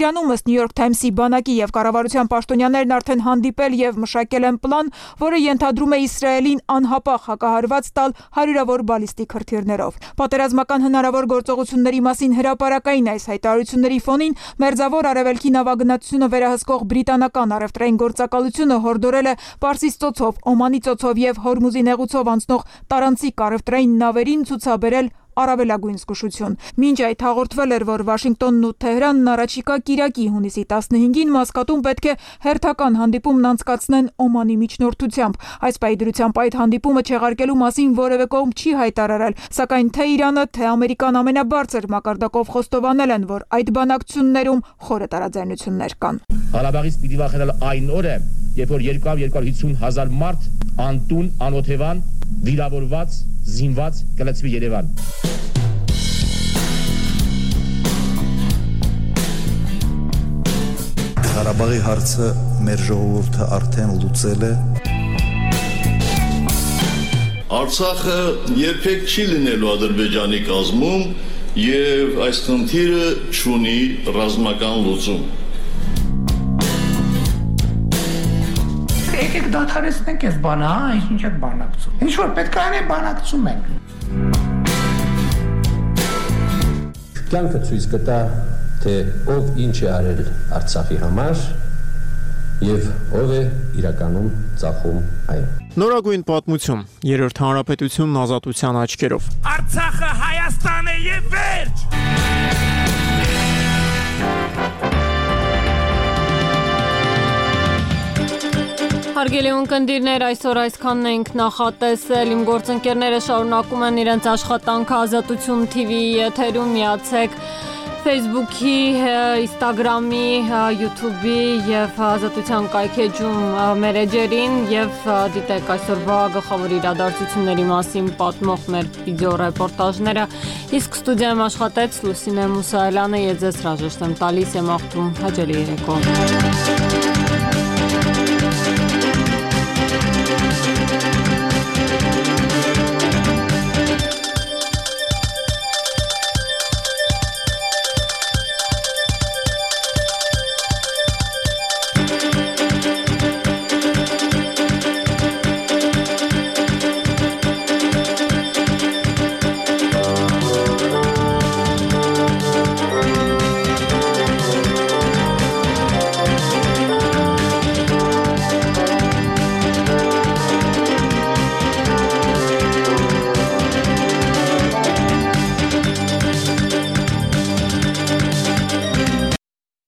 Իրանում ըստ New York Times-ի բանակի եւ կառավարության պաշտոնյաներն արդեն հանդիպել եւ մշակել են պլան, որը ենթադրում է Իսրայելին անհապաղ անապահ հակահարված տալ հարյուրավոր բալիստիկ հրթիռներով։ Պատերազմական հնարավոր գործողությունների մասին հրապարակային այս հայտարարությունների ֆոնին Մերձավոր Արևելքի նավագնացությունը վերահսկող բրիտանական առևտրային գործակալությունը հորդորել է Պարսից ծոցով, Օմանի ծոցով եւ Հորմուզի նեղուցով անցնող տարանցիկ առևտրային նավերին ցուցաբերել առավելագույն զգուշություն։ Մինչ այդ հաղորդվել էր, որ Վաշինգտոնն ու Թեհրանն առաջիկա կիրակի հունիսի 15-ին Մասկատում պետք է հերթական հանդիպումն անցկացնեն Օմանի միջնորդությամբ։ Այս պայդրությամբ այդ հանդիպումը չեղարկելու մասին որևէ կողմ չի հայտարարել, սակայն թե Իրանը, թե Ամերիկան ամենաբարձր մակարդակով խոստովանել են, որ այդ բանակցություններում խորը տարաձայնություններ կան։
Ղարաբաղից պիտի վախենալ այն օրը, երբ որ 250,000 մարդ անտուն, անօթևան, վիրավորված, զինված կլցվի Երևան։
Ղարաբաղի հարցը մեր ժողովուրդը արդեն լուծել է։
Արցախը երբեք չի լինելու Ադրբեջանի կազմում եւ այս խնդիրը չունի ռազմական լուծում։
Եկեք դադարեցնենք այս բանը, ինչ եք բանակցում։ Ինչ որ պետք է անենք, բանակցում ենք։
Կյանքը ցույց կտա, թե ով ինչ է արել Արցախի համար եւ ով է իրականում ծախում այն։
Նորագույն պատմություն, Երրորդ հանրապետությունն ազատության աչքերով։
Արցախը Հայաստան է եւ վերջ։
Հարգելի ունկնդիրներ, այսօր այսքանն ենք նախատեսել։ Իմ գործընկերները շարունակում են իրենց աշխատանքը Ազատություն TV-ի եթերում, միացեք Facebook-ի, Instagram-ի, YouTube-ի եւ Ազատության կայքեջում մեր էջերին եւ դիտեք այսօրվա գլխավոր իրադարձությունների մասին պատմող մեր վիդեո ռեպորտաժները։ Իսկ ստուդիայում աշխատեց Լուսինե Մուսայելյանը, ես ձեզ հրաժեշտ եմ տալիս, եմ աղթում հաջելի երեկո։